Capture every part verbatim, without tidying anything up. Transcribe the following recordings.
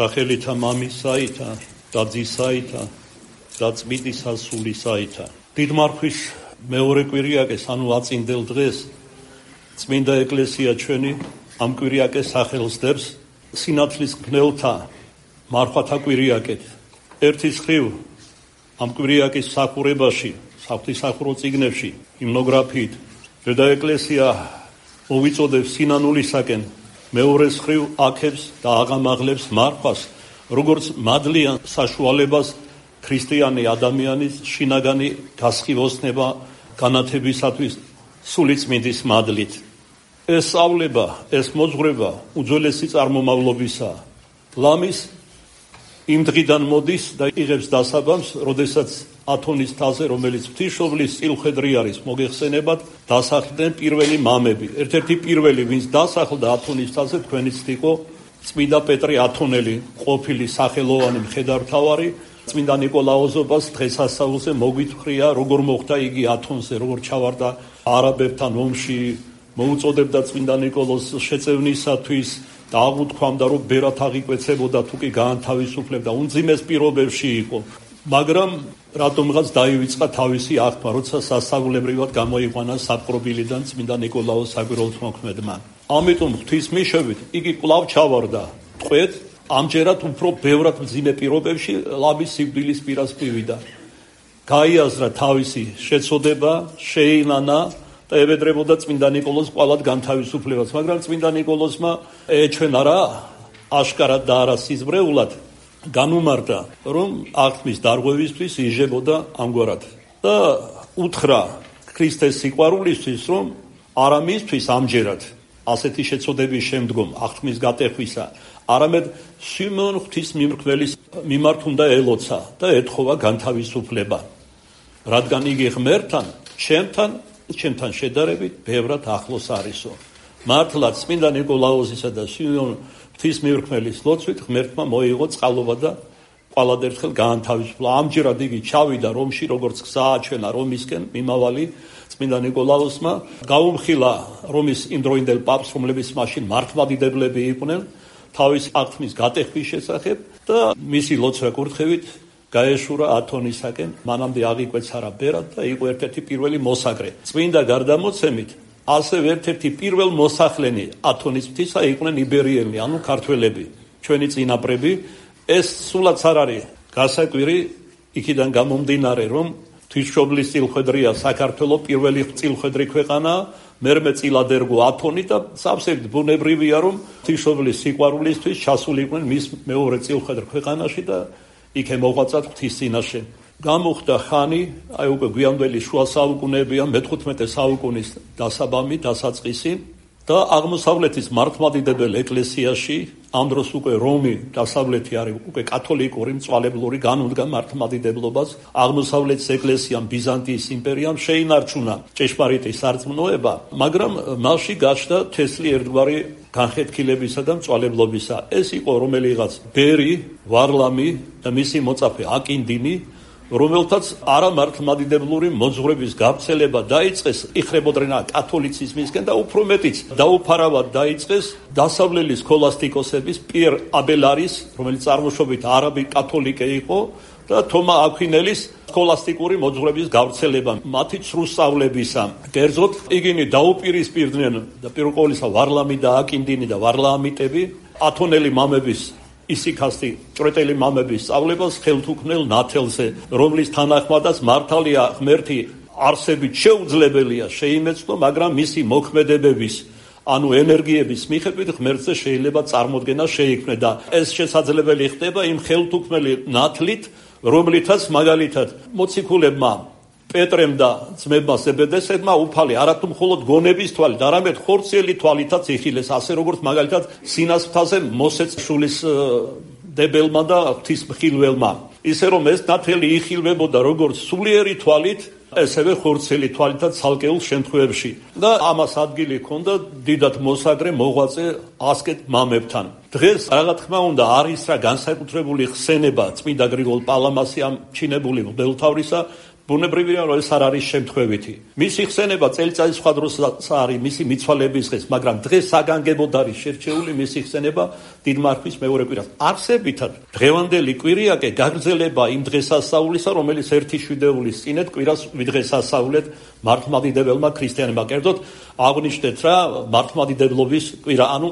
სახელითა მამისაითა და ძისაითა და წმინდისა სულისაითა. დიდმარხვის მეორე კვირიაკეს, ანუ აწინდელ დღეს, წმინდა ეკლესია ჩვენი ამ კვირიაკეს სახელს დებს სინათლის მგნელთა მარხვათა კვირიაკეთ. ერთის ხრივ ამ კვირიაკის სახურებაში, საღვთისახურო წიგნებში, ჰიმნოგრაფიით დედა ეკლესია მოვიწოდებს სინანულისაკენ, მეორეს ხრივ აქებს და აღამაღლებს მარხვას, როგორც მადლიან საშუალებას ქრისტიანი ადამიანის შინაგანი გასხივოსნება განათებისათვის სულიწმინდის მადლით. ეს სწავლება, ეს მოძღვრება უძველესი წარმომავლობისაა. ლამის იმ დღიდან მოდის და იღებს დასაბამს, როდესაც ათონის თაზე, რომელიც ღვთისმშობლის წილხედრი არის, მოგეხსენებათ, დასახლდნენ პირველი მამები. ერთ-ერთი პირველი, ვინც დასახლდა ათონის თაზე, თქვენიც იყო წმინდა პეტრე ათონელი, ყოფილი სახელოვანი მხედართმთავარი. წმინდა ნიკოლაოზობას დღესასწაულზე მოგვითხრია, როგორ მოხდა იგი ათონზე, როგორ ჩავარდა არაბებთან ომში, მოუწოდებდა წმინდა ნიკოლოზს შეწევნისათვის და აღუთქვამდა, რომ ბერად აღიკვეცებოდა, თუ კი გაანთავისუფლებდა, უმძიმეს პირობებში იყო. მაგრამ რატომღაც დაივიწყა თავისი აღქმა, როცა სასწაულებრივად გამოიყვანა საპყრობილიდან წმინდა ნიკოლაოს საკვირველთმოქმედმა. ამიტომ ღვთისმიშობით იგი კვლავ ჩავარდა ტყვედ, ამჯერად უფრო ბევრად მძიმე პირობებში ლამის სიკვდილის პირას მივიდა. გაიაზრა თავისი შეწოდება, შეინანა და ევედრებოდა წმინდა ნიკოლოზს კვალად განთავისუფლებას, მაგრამ წმინდა ნიკოლოზმა ეჩვენა რა, აშკარად და არა სიზმრეულად განუმარტა, რომ აღთმის დარღვევისთვის იჟებოდა ამგვარად და უთხრა ქრისტეს სიყვარულისთვის, რომ არა მისთვის ამჯერად ასეთი შეწოდების შემდგომ აღთმის გატეხვისა, არამედ სიმონ ღვთისმიმრქმელის მიმართ უნდა ელოცა და ეთხოვა განთავისუფლება, რადგან იგი ღმერთთან, ჩემთან, ჩემთან შედარებით ბევრად ახლოს არისო. მართლაც წმინდა ნიკოლაოზისა და სიმონ ღვთისმიმრქმელის ლოცვით ღმერთმა მოიღო წყალობა და ყველად ერთხელ გაანთავისუფლა. ამჯერად იგი ჩავიდა რომში, როგორც გზა აჩვენა რომისკენ მიმავალი წმინდა ნიკოლაოსმა, გაუმხილა რომის იმდროინდელ პაპს, რომლებიც მაშინ მართლმადიდებლები იყვნენ, თავის აღთმის გატეხვის შესახებ და მისი ლოცვა კურთხევით გაეშურა ათონისაკენ, მანამდე აღიკვეცა რა ბერად და იყო ერთ-ერთი პირველი მოსაგრე. წმინდა გარდამოცემით ასევე ერთ-ერთი პირველ მოსახლენი ათონის მთისა იყვნენ იბერიელნი, ანუ ქართველები, ჩვენი წინაპრები. ეს სულაც არ არის გასაკვირი, იქიდან გამომდინარე, რომ ღვთისმშობლის წილხედრია საქართველო, პირველი წილხედრი ქვეყანა, მერმე წილად ერგო ათონი და სავსებით ბუნებრივია, რომ ღვთისმშობლის სიყვარულისთვის ჩასულიყვნენ მის მეორე წილხედრ ქვეყანაში და იქ მოღვაწათ ღვთის წინაშე. გამოხდა ხანი, აი უკვე გვიანდელი შუა საუკუნეებია, მეთხუთმეტე საუკუნის დასაბამი, დასაწყისი და აღმოსავლეთის მართლმადიდებელ ეკლესიაში, ამ დროს უკვე რომი დასავლეთი არის უკვე კათოლიკური, მწვალებლური, განუდგა მართლმადიდებლობას, აღმოსავლეთის ეკლესიამ, ბიზანტიის იმპერიამ შეინარჩუნა ჭეშმარიტი სარწმუნოება, მაგრამ მასში გაჩნდა თესლი ერთგვარი განხეთქილებისა და მწვალებლობისა. ეს იყო რომელიღაც ბერი, ვარლამი და მისი მოწაფე აკინდინი, რომელთაც არამართლმადიდებლური მოძღვრების გავრცელება დაიწყეს, იხრებოდნენ კათოლიციზმისკენ და უფრო მეტიც დაუფარავად დაიწყეს დასავლელი სქოლასტიკოსების პიერ აბელარის, რომელიც წარმოშობით არაბი კათოლიკე იყო, და თომა აქვინელის სქოლასტიკური მოძღვრების გავრცელება, მათი ცრუ სწავლებისა. კერძოდ, იგინი დაუპირისპირდნენ და პირველ ყოვლისა ვარლამი და აკინდინი და ვარლაამიტები ათონელი მამების ისიქასტი ჭრეტელი მამების სწავლებას ხელთ უქმნელ ნათელზე, რომლის თანახმადაც მართალია ღმერთი არსებით შეუძლებელია შეიმეცნო, მაგრამ მისი მოქმედებების, ანუ ენერგიების მიხედვით ღმერთზე შეიძლება წარმოდგენა შეიქმნა და ეს შესაძლებელი ხდება იმ ხელთ უქმნელი ნათლით, რომლითაც მაგალითად მოციქულებმა პეტრემ და ძმებმა ზებედესებმა უფალი არათუ მხოლოდ გონების თვალით, არამედ ხორციელი თვალითაც იხილეს, ასე როგორც მაგალითად სინას მთაზე მოსეც შულის დებელმა და ღვთისმხილველმა. ისე რომ ეს ნათელი იხილვებოდა როგორც სულიერი თვალით, ესევე ხორციელი თვალითაც ცალკეულ შემთხვევებში. და ამას ადგილი ჰქონდა დიდად მოსაგრე მოღვაწე ასკეთ მამებთან. დღეს რა თქმა უნდა არის რა განსაკუთრებული ხსენება წმინდა გრიგოლ პალამასი ამ ჩინებული მღვდელმთავრისა, ბუნებრივია რომ ეს არ არის შემთხვევითი. მისი ხსენება წელიწადის სხვა დროს არის მისი მიცვალების დღეს, მაგრამ დღეს საგანგებოდ არის შერჩეული მისი ხსენება დიდმარხვის მეორე კვირას. არსებითად დღევანდელი კვირიაკე გაგრძელება იმ დღესასწაულისა, რომელიც ერთი შვიდეულის წინეთ კვირას ვიდღესასწაულეთ მართლმადიდებელმა ქრისტიანებმა. კერძოდ აღნიშნეთ რა მართლმადიდებლობის კვირა, ანუ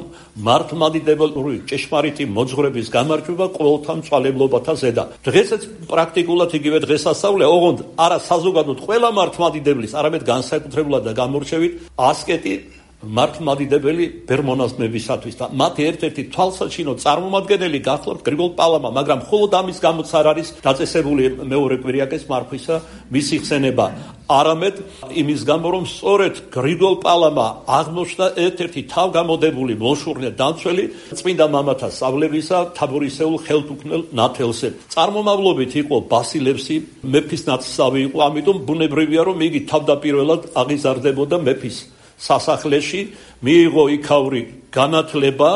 მართლმადიდებლური ჭეშმარიტი მოძღვრების გამარჯვება ყოველთა მწვალებლობათა ზედა. დღესაც პრაქტიკულად იგივე დღესასწაულია, ოღონდ არა საზოგადოდ ყველა მართლმადიდებლის, არამედ განსაკუთრებულად და გამორჩევით ასკეტი მართლმადიდებელი ბერმონაზმებისათვის და მათი ერთ-ერთი თვალსაჩინო წარმომადგენელი გახლავთ გრიგოლ პალამა, მაგრამ მხოლოდ ამის გამოც არ არის დაწესებული მეორე კვირიაკეს მარხვისა მისი ხსენება, არამედ იმის გამო, რომ სწორედ გრიგოლ პალამა აღმოჩნდა ერთ-ერთი თავგამოდებული მოშურნე დამცველი წმინდა მამათა სწავლებისა თაბორისეულ ხელთუქმნელ ნათელზე. წარმომავლობით იყო ბასილევსი, მეფის ნათესავი იყო, ამიტომ ბუნებრივია, რომ იგი თავდაპირველად აღიზარდებოდა მეფის სასახლეში, მიიღო იქაური განათლება,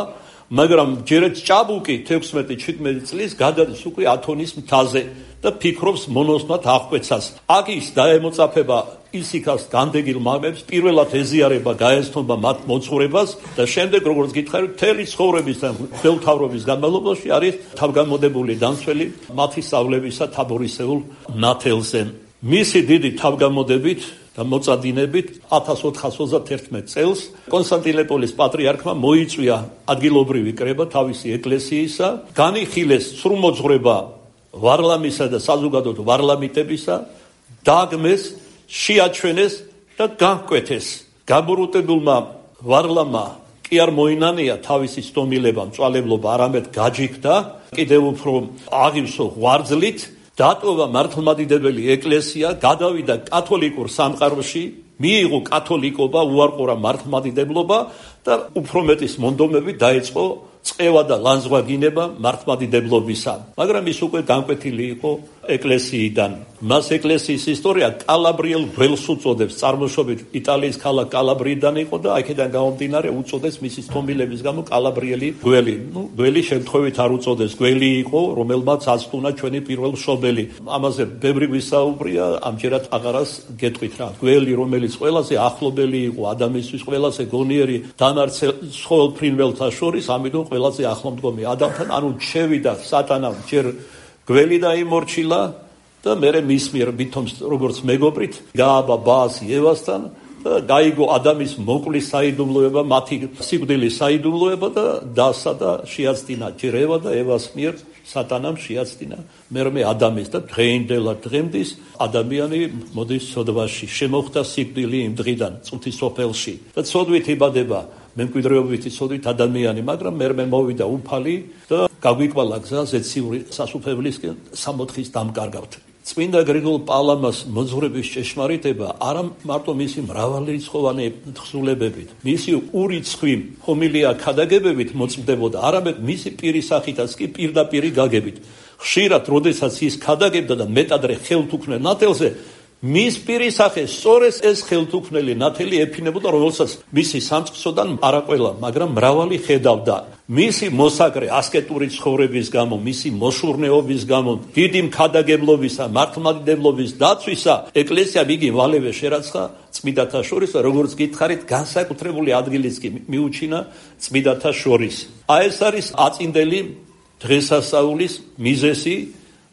მაგრამ ჯერაც ჭაბუკი თექვსმეტი შვიდმეტი წლის გადადის უკვე ათონის მთაზე და ფიქრობს მონოსნად აღკვეცას. აქ ის დაემოწაფება ისიქას განდეგილ მამებს, პირველად ეზიარება, გაეცნობა მათ მოძღვრებას და შემდეგ, როგორც გითხარი, მთელი ცხოვრების და მღვდელმთავრობის განმავლობაში არის თავგამოდებული დამცველი მათი სწავლებისა თაბორისეულ ნათელზე. მისი დიდი თავგამოდებით და მოწადინებით ათას ოთხას ოცდაერთმეტ წელს კონსტანტინოპოლის პატრიარქმა მოიწვია ადგილობრივი კრება თავისი ეკლესიისა, განიხილეს სრულმოძღვრება ვარლამისა და საზოგადოდ ვარლამიტებისა, დაგმეს, შეაჩვენეს და განკვეთეს. გაბოროტებულმა ვარლამა კი არ მოინანია თავისი სტომილება, მწვალებლობა, არამედ გაჯიქდა, კიდევ უფრო აღივსო ღვარძლით, დატოვა მართლმადიდებელი ეკლესია, გადავიდა კათოლიკურ სამყაროში, მიიღო კათოლიკობა, უარყურა მართლმადიდებლობა და უფრო მეტის მონდომები დაიწყო წევა და ლანძღვაგინება მართლმადიდებლობისა. მაგრამ ის უკვე განკვეთილი იყო ეკლესიიდან. მას ეკლესიის ისტორია კალაბრიელ გველს უწოდებს, წარმოშობით იტალიის ქალაქ კალაბრიიდან იყო და აქედან გამომდინარე უწოდეს მისი სტომილების გამო კალაბრიელი გველი. ნუ გველი შემთხვევით არ უწოდეს, გველი იყო, რომელმაც აწტუნა ჩვენი პირველ მშობელი. ამაზე ბევრი გვისაუბრია, ამჯერად აღარას გეტყვით რა. გველი, რომელიც ყველაზე ახლობელი იყო ადამიანისთვის, ყველაზე გონიერი დამარცელ ცხოველ ფრინველთა შორის, ამიტომ ყველაზე ახლომდგომი ადამიანთან, ანუ შევიდა სატანამ ჯერ გველი დაიმორჩილა და მერე მის მიერ ვითომს როგორც მეგობრით გააბა ბაასი ევასთან და გაიგო ადამის მოკვლის საიდუმლოება, მათი სიკვდილის საიდუმლოება და დასა და შეაცდინა ჯერ ევა და ევას მიერ სატანამ შეაცდინა მერმე ადამიანს და დღეინდელად დღემდის ადამიანი მოდის ცოდვაში, შემოხდა სიკვდილი იმ დღიდან წუთის სოფელში და ცოდვით იბადება მემკვიდრეობითი ცოდვით ადამიანი, მაგრამ მერმე მოვიდა უფალი და გაგვიკვალა გზა ზეციური სასუფევლისკენ სამოთხის დამკარგავთ. წმინდა გრიგოლ პალამას მოძღვრების ჭეშმარიტება არა მარტო მისი მრავალრიცხოვანი თხზულებებით, მისი ურიცხვი ჰომილია ქადაგებებით მოწმდებოდა, არამედ მისი პირისახითაც კი პირდაპირი გაგებით. ხშირად, როდესაც ის ქადაგებდა და მეტადრე ხელთუქმნელ ნათელზე, მის პირისახეს სწორედ ეს ხელთუქმნელი ნათელი ეფინებოდა, რომელსაც მისი სამწყსოდან არა ყველა, მაგრამ მრავალი ხედავდა. მისი მოსაგრე ასკეტური ცხოვრების გამო, მისი მოშურნეობის გამო, დიდი მქადაგებლობისა, მართლმადიდებლობის დაცვისა, ეკლესიამ იგი ვალევე შერაცხა წმინდათა შორის, როგორც გითხარით, განსაკუთრებული ადგილიც კი მიუჩინა წმინდათა შორის. აი ეს არის აწინდელი დღესასწაულის მიზეზი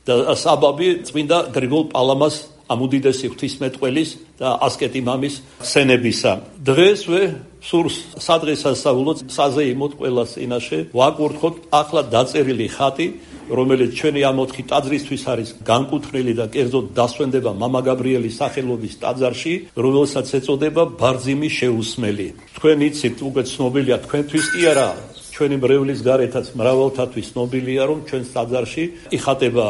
და საბაბი წმინდა გრიგოლ პალამას ამ უდიდესი ღვთისმეტყველის და ასკეტი მამის ხსენებისა. დღესვე სურს სადღესასწაულო საზეიმოდ ყველას წინაშე ვაკურთხოთ ახლა დაწერილი ხატი, რომელიც ჩვენი ამ ოთხი ტაძრისთვის არის განკუთვნილი და კერძოდ დასვენდება მამა გაბრიელის სახელობის ტაძარში, რომელსაც ეწოდება ბარძიმი შეუსმელი. თქვენ იცით, უკვე ცნობილია თქვენთვის კი არა, ჩვენი მრევლის გარეთაც მრავალთათვის ცნობილია, რომ ჩვენს ტაძარში იხატება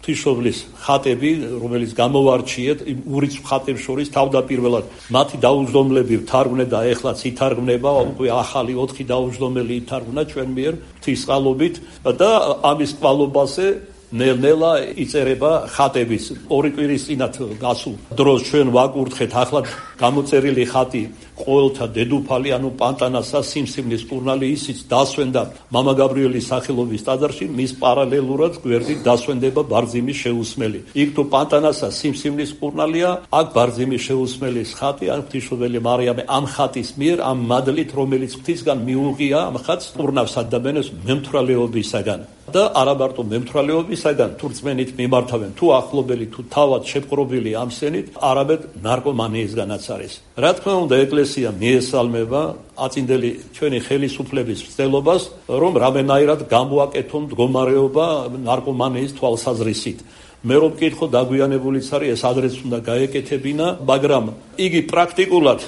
ღვთისმშობლის ხატები, რომელიც გამოვარჩიეთ იმ ურიცხვ ხატებს შორის თავდაპირველად მათი დაუჯდომლები ვთარგმნე და ეხლაც ითარგმნება, უკვე ახალი ოთხი დაუჯდომელი ითარგმნა ჩვენ მიერ ღვთისწყალობით და ამის კვალობაზე ნელ-ნელა იწერება ხატების ორი კვირის წინათ გასულ დროს ჩვენ ვაკურთხეთ ახლა გამოწერილი ხატი ყოველთა დედოფალი ანუ პანტანასა სიმსივნის კურნალი ისიც დასვენდა მამა გაბრიელის სახელობის ტაძარში მის პარალელურად გვერდით დასვენდება ბარძიმის შეუსმელი იქ თუ პანტანასა სიმსივნის კურნალია აქ ბარძიმის შეუსმელის ხატი ან ღვთისმშობელი მარიამე ამ ხატის მიერ ამ მადლით რომელიც ღვთისგან მიუღია ამ ხატს კურნავს ადამიანებს მემთვრალეობისაგან და არა მარტო მემთვრალეობისაგან თუ რწმენით მიმართავენ თუ ახლობელი თუ თავად შეპყრობილი ამ სენით არამედ ნარკომანიისგანაც არის რა თქმა უნდა ეკლესია მიესალმება აწინდელი ჩვენი ხელისუფლების ცდილობას რომ რამენაირად გამოაკეთონ მდგომარეობა ნარკომანიის თვალსაზრისით მე რომ მკითხო დაგვიანებულიც არის ეს ადრეც უნდა გაეკეთებინა მაგრამ იგი პრაქტიკულად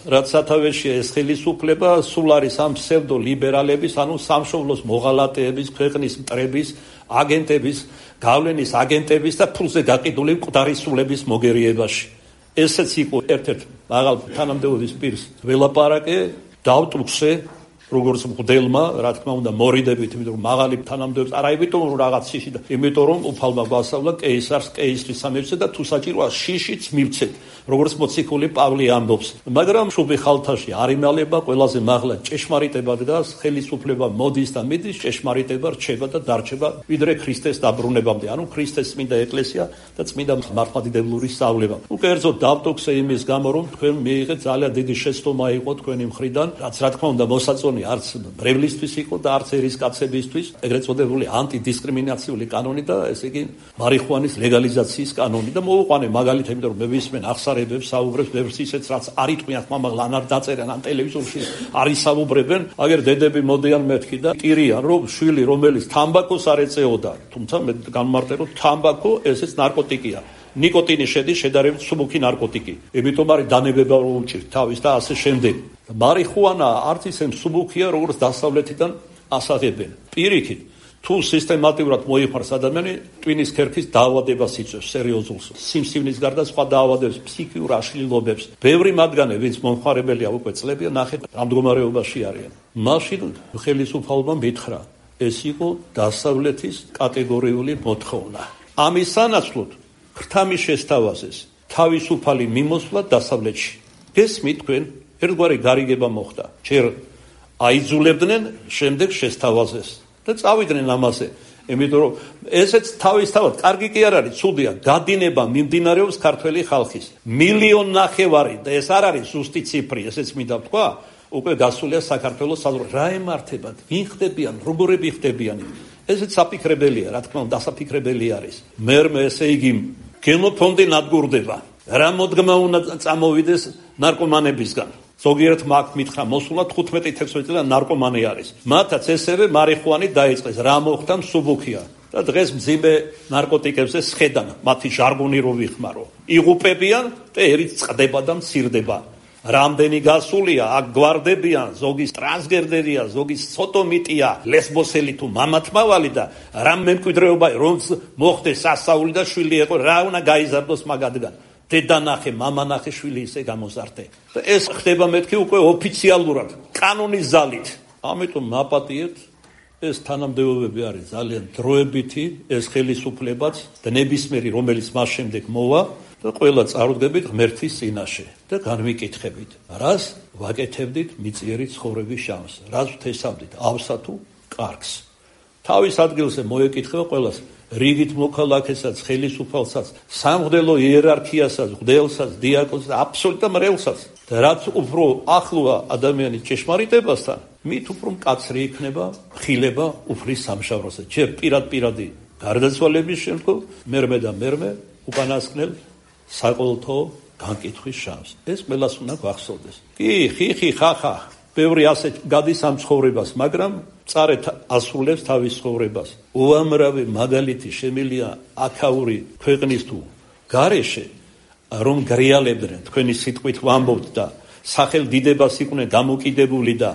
რაც სათავეშია ეს ხელისუფლება სულ არის ამ ფსევდო ლიბერალების ანუ სამშობლოს მოღალატეების ქვეყნის მტრების აგენტების გავლენის აგენტების და ფულზე გაყიდული მკვდარისულების მოგერიებაში ესეც იყო ერთ-ერთ მაღალ თანამდებობის პირს ველაპარაკე დავტუქსე როგორც მღვდელმა რა თქმა უნდა მორიდებით იმიტომ რომ მაღალი თანამდებობს არა იმიტომ რომ რაღაც შიში და იმიტომ რომ უფალმა გვასწავლა კეისარს კეისრის სამეფოზე და თუ საჭიროა შიშიც მივცეთ როგორც მოციქული პავლე ამბობს მაგრამ შუბი ხალთაში არ იმალება ყველაზე მაღლა ჭეშმარიტება დგას ხელისუფლება მოდის და მიდის ჭეშმარიტება რჩება და დარჩება ვიდრე ქრისტეს დაბრუნებამდე ანუ ქრისტეს წმინდა ეკლესია და წმინდა მართლმადიდებლური სწავლება უკერძოდ დავტოქსე იმის გამო რომ თქვენ მიიღეთ ძალიან დიდი შეცდომა იყო თქვენი მხრიდან რაც რა თქმა უნდა მოსაწონი არც ბრევლისთვის იყო და არც ერისკაცებისთვის ეგრეთ წოდებული ანტიდისკრიმინაციული კანონი და ესე იგი მარიხუანის ლეგალიზაციის კანონი და მოვუყვანე მაგალითად იმიტომ რომ მე ვისმენ ახსარებებს საუბრებს ბევრს ისეც რაც არ იტყვიან ხმამაღლა ან არ დაწერენ ან ტელევიზორში არ ისაუბრებენ აგერ დედები მოდიან მეთქი და ტირიან რომ შვილი რომელიც თამბაქოს არ ეწეოდა თუმცა მე განმარტე რომ თამბაქო ესეც ნარკოტიკია ნიკოტინი შედის შედარებით სუბუქი ნარკოტიკი იმიტომ არის დანებება რომ უჭირთ თავის და ასე შემდეგ მარიხუანა არც ისე სუბუქია როგორც დასავლეთიდან ასაღებენ პირიქით თუ სისტემატურად მოიხმარს ადამიანი ტვინის ქერქის დაავადებას იწვევს სერიოზულ სიმსივნის გარდა სხვა დაავადებებს ფსიქიურ აშლილობებს ბევრი მათგანი ვინც მომხმარებელია უკვე წლებია ნახეთ ამ მდგომარეობაში არიან მაშინ ხელისუფალმა მითხრა ეს იყო დასავლეთის კატეგორიული მოთხოვნა ამის სანაცვლოდ ხრთამის შესთავაზეს თავისუფალი მიმოსვლა დასავლეთში გესმით თქვენ ერთგვარი გარიგება მოხდა ჯერ აიძულებდნენ შემდეგ შესთავაზეს და წავიდნენ ამაზე იმიტომ რომ ესეც თავისთავად კარგი კი არ არის ცუდია გადინება მიმდინარეობს ქართველი ხალხის მილიონ ნახევარი და ეს არ არის ზუსტი ციფრი ესეც მინდა ვთქვა უკვე გასულია საქართველოს საზღვარი რა ემართებათ ვინ ხდებიან როგორები ხდებიან ესეც საფიქრებელია რა თქმა უნდა დასაფიქრებელი არის მერმე ესე იგი გენოფონდი ნადგურდება რა მოდგმა უნდა წამოვიდეს ნარკომანებისგან ზოგიერთ მაგ მითხრა მოსულა თხუთმეტი თექვსმეტი წელი ნარკომანი არის მათაც ესევე მარიხუანი დაიწყეს რა მოხდა სუბუქია და დღეს მძიმე ნარკოტიკებზე სხედან მათი ჟარგონი რო ვიხმარო იღუპებიან და ერით წყდება და მცირდება რამდენი გასულია აქ გვარდებიან ზოგის ტრანსგენდერია ზოგის სოტომიტია ლესბოსელი თუ მამათმავალი და რა მემკვიდრეობა რომ მოხდეს სასაული და შვილი ეყო რა უნდა გაიზარდოს მაგადგან დედანახე მამანახე შვილი ისე გამოზარდე და ეს ხდება მეთქი უკვე ოფიციალურად კანონის ზალით ამიტომ მაპატიეთ ეს თანამდებობები არის ძალიან დროებითი ეს ხელისუფლებაც და ნებისმიერი რომელიც მას შემდეგ მოვა და ყველა წარუდგებით ღმერთის წინაშე და განვიკითხებით რას ვაკეთებდით მიწიერი ცხოვრების შანსს რას ვთესავდით ავსა თუ კარგს თავის ადგილზე მოეკითხება ყველას რიგით მოქალაქესაც ხელისუფალსაც სამღვდელო იერარქიასაც მღვდელსაც დიაკონსაც აბსოლუტურად მრევლსაც და რაც უფრო ახლოა ადამიანის ჭეშმარიტებასთან მით უფრო მკაცრი იქნება ხილება უფლის სამშაბლოზე ჯერ პირად-პირადი გარდაცვალების შემდგომ მერმე და მერმე უკანასკნელ საყოველთაო განკითხვის შანსს ეს ყველას უნდა გვახსოვდეს კი ხიხი ხახა ბევრი ასე გადის ამ ცხოვრებას მაგრამ წარეთ ასრულებს თავის ცხოვრებას უამრავი მაგალითი შემილია აქაური ქვეყნის თუ გარეშე რომ გრიალებდნენ თქვენი სიტყვით ვამბობთ და სახელდიდებას იყვნენ გამოკიდებული და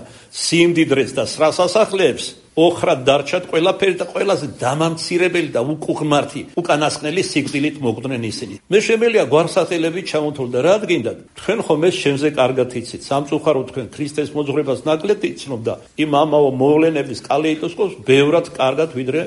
სიმდიდრეს და სრას ასახლებს ოხრად დარჩათ ყველაფერი და ყველაზე დამამცირებელი და უკუღმართი უკანასკნელი სიკვდილით მოკვდნენ ისინი მე შემელია გვარსახელებით ჩამოთვალ და რა გინდათ თქვენ ხომ ეს შემზე კარგად იცით სამწუხაროდ თქვენ ქრისტეს მოძღვრებას ნაკლებ იცნობ და იმ ამაო მოვლენების კალეიდოსკოპს ბევრად კარგად ვიდრე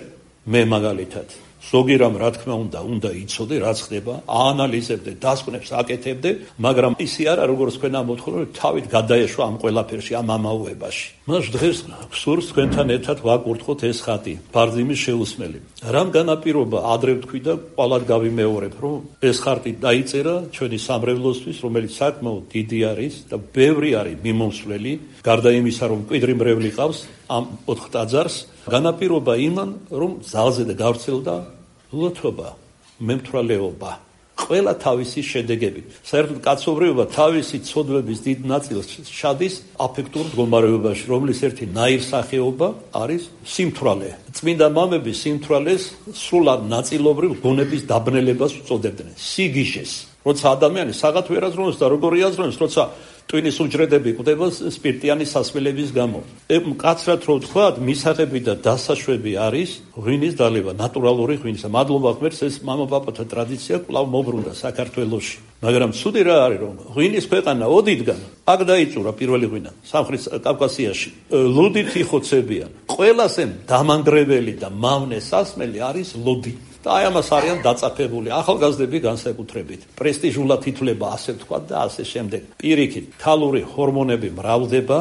მე მაგალითად ზოგი რამ რა თქმა უნდა უნდა იცოდე რა ხდება, აანალიზებდე, დასკვნებს აკეთებდე, მაგრამ ისი არა როგორც თქვენ ამოთხოვეთ, თავით გადაეშვა ამ ყველაფერში, ამ ამაუებაში. მას დღეს სურს თქვენთან ერთად ვაკურთხოთ ეს ხატი, ბარძიმის შეუსმელი. რამ განაპირობა ადრე ვთქვი და ყვალად გავიმეორებ, რომ ეს ხატი დაიწერა ჩვენი სამრევლოსთვის, რომელიც საკმაოდ დიდი არის და ბევრი არის მიმომსვლელი, გარდა იმისა, რომ მკვიდრი მრევლი ყავს ამ ოთხ ტაძარს, განაპირობა იმან, რომ ძალზე და გავრცელდა ლოთობა, მემთვრალეობა, ყველა თავისი შედეგები. საერთოდ კაცობრიობა თავისი ცოდვების დიდ ნაწილს შედის აფექტურ მდგომარეობაში, რომლის ერთი ნაირსახეობა არის სიმთვრალე. წმინდა მამები სიმთვრალეს სრულად ნაწილობრივ გონების დაბნელებას უწოდებდნენ, სიგიჟეს. როცა ადამიანი საღათ ვერ აზროვნებს და როგორ იაზროვნებს, როცა ტვინის უჯრედები კვდება სპირტიანი სასმელების გამო. მკაცრად რო ვთქვათ, მისაღები და დასაშვები არის ღვინის დალევა, ნატურალური ღვინისა. მადლობა ღმერთს, ეს მამა-პაპათა ტრადიცია კვლავ მობრუნდა საქართველოში. მაგრამ ცუდი რა არის, რომ ღვინის ქვეყანა ოდითგან აქ დაიწურა პირველი ღვინა სამხრეთ კავკასიაში. ლოდით იხოცებიან. ყველასე დამანგრეველი და მავნე სასმელი არის ლოდი. და აი ამას არიან დაწაფებული ახალგაზრდები განსაკუთრებით. პრესტიჟულად ითვლება, ასე ვთქვათ და ასე შემდეგ. პირიქით, ქალური ჰორმონები მრავლდება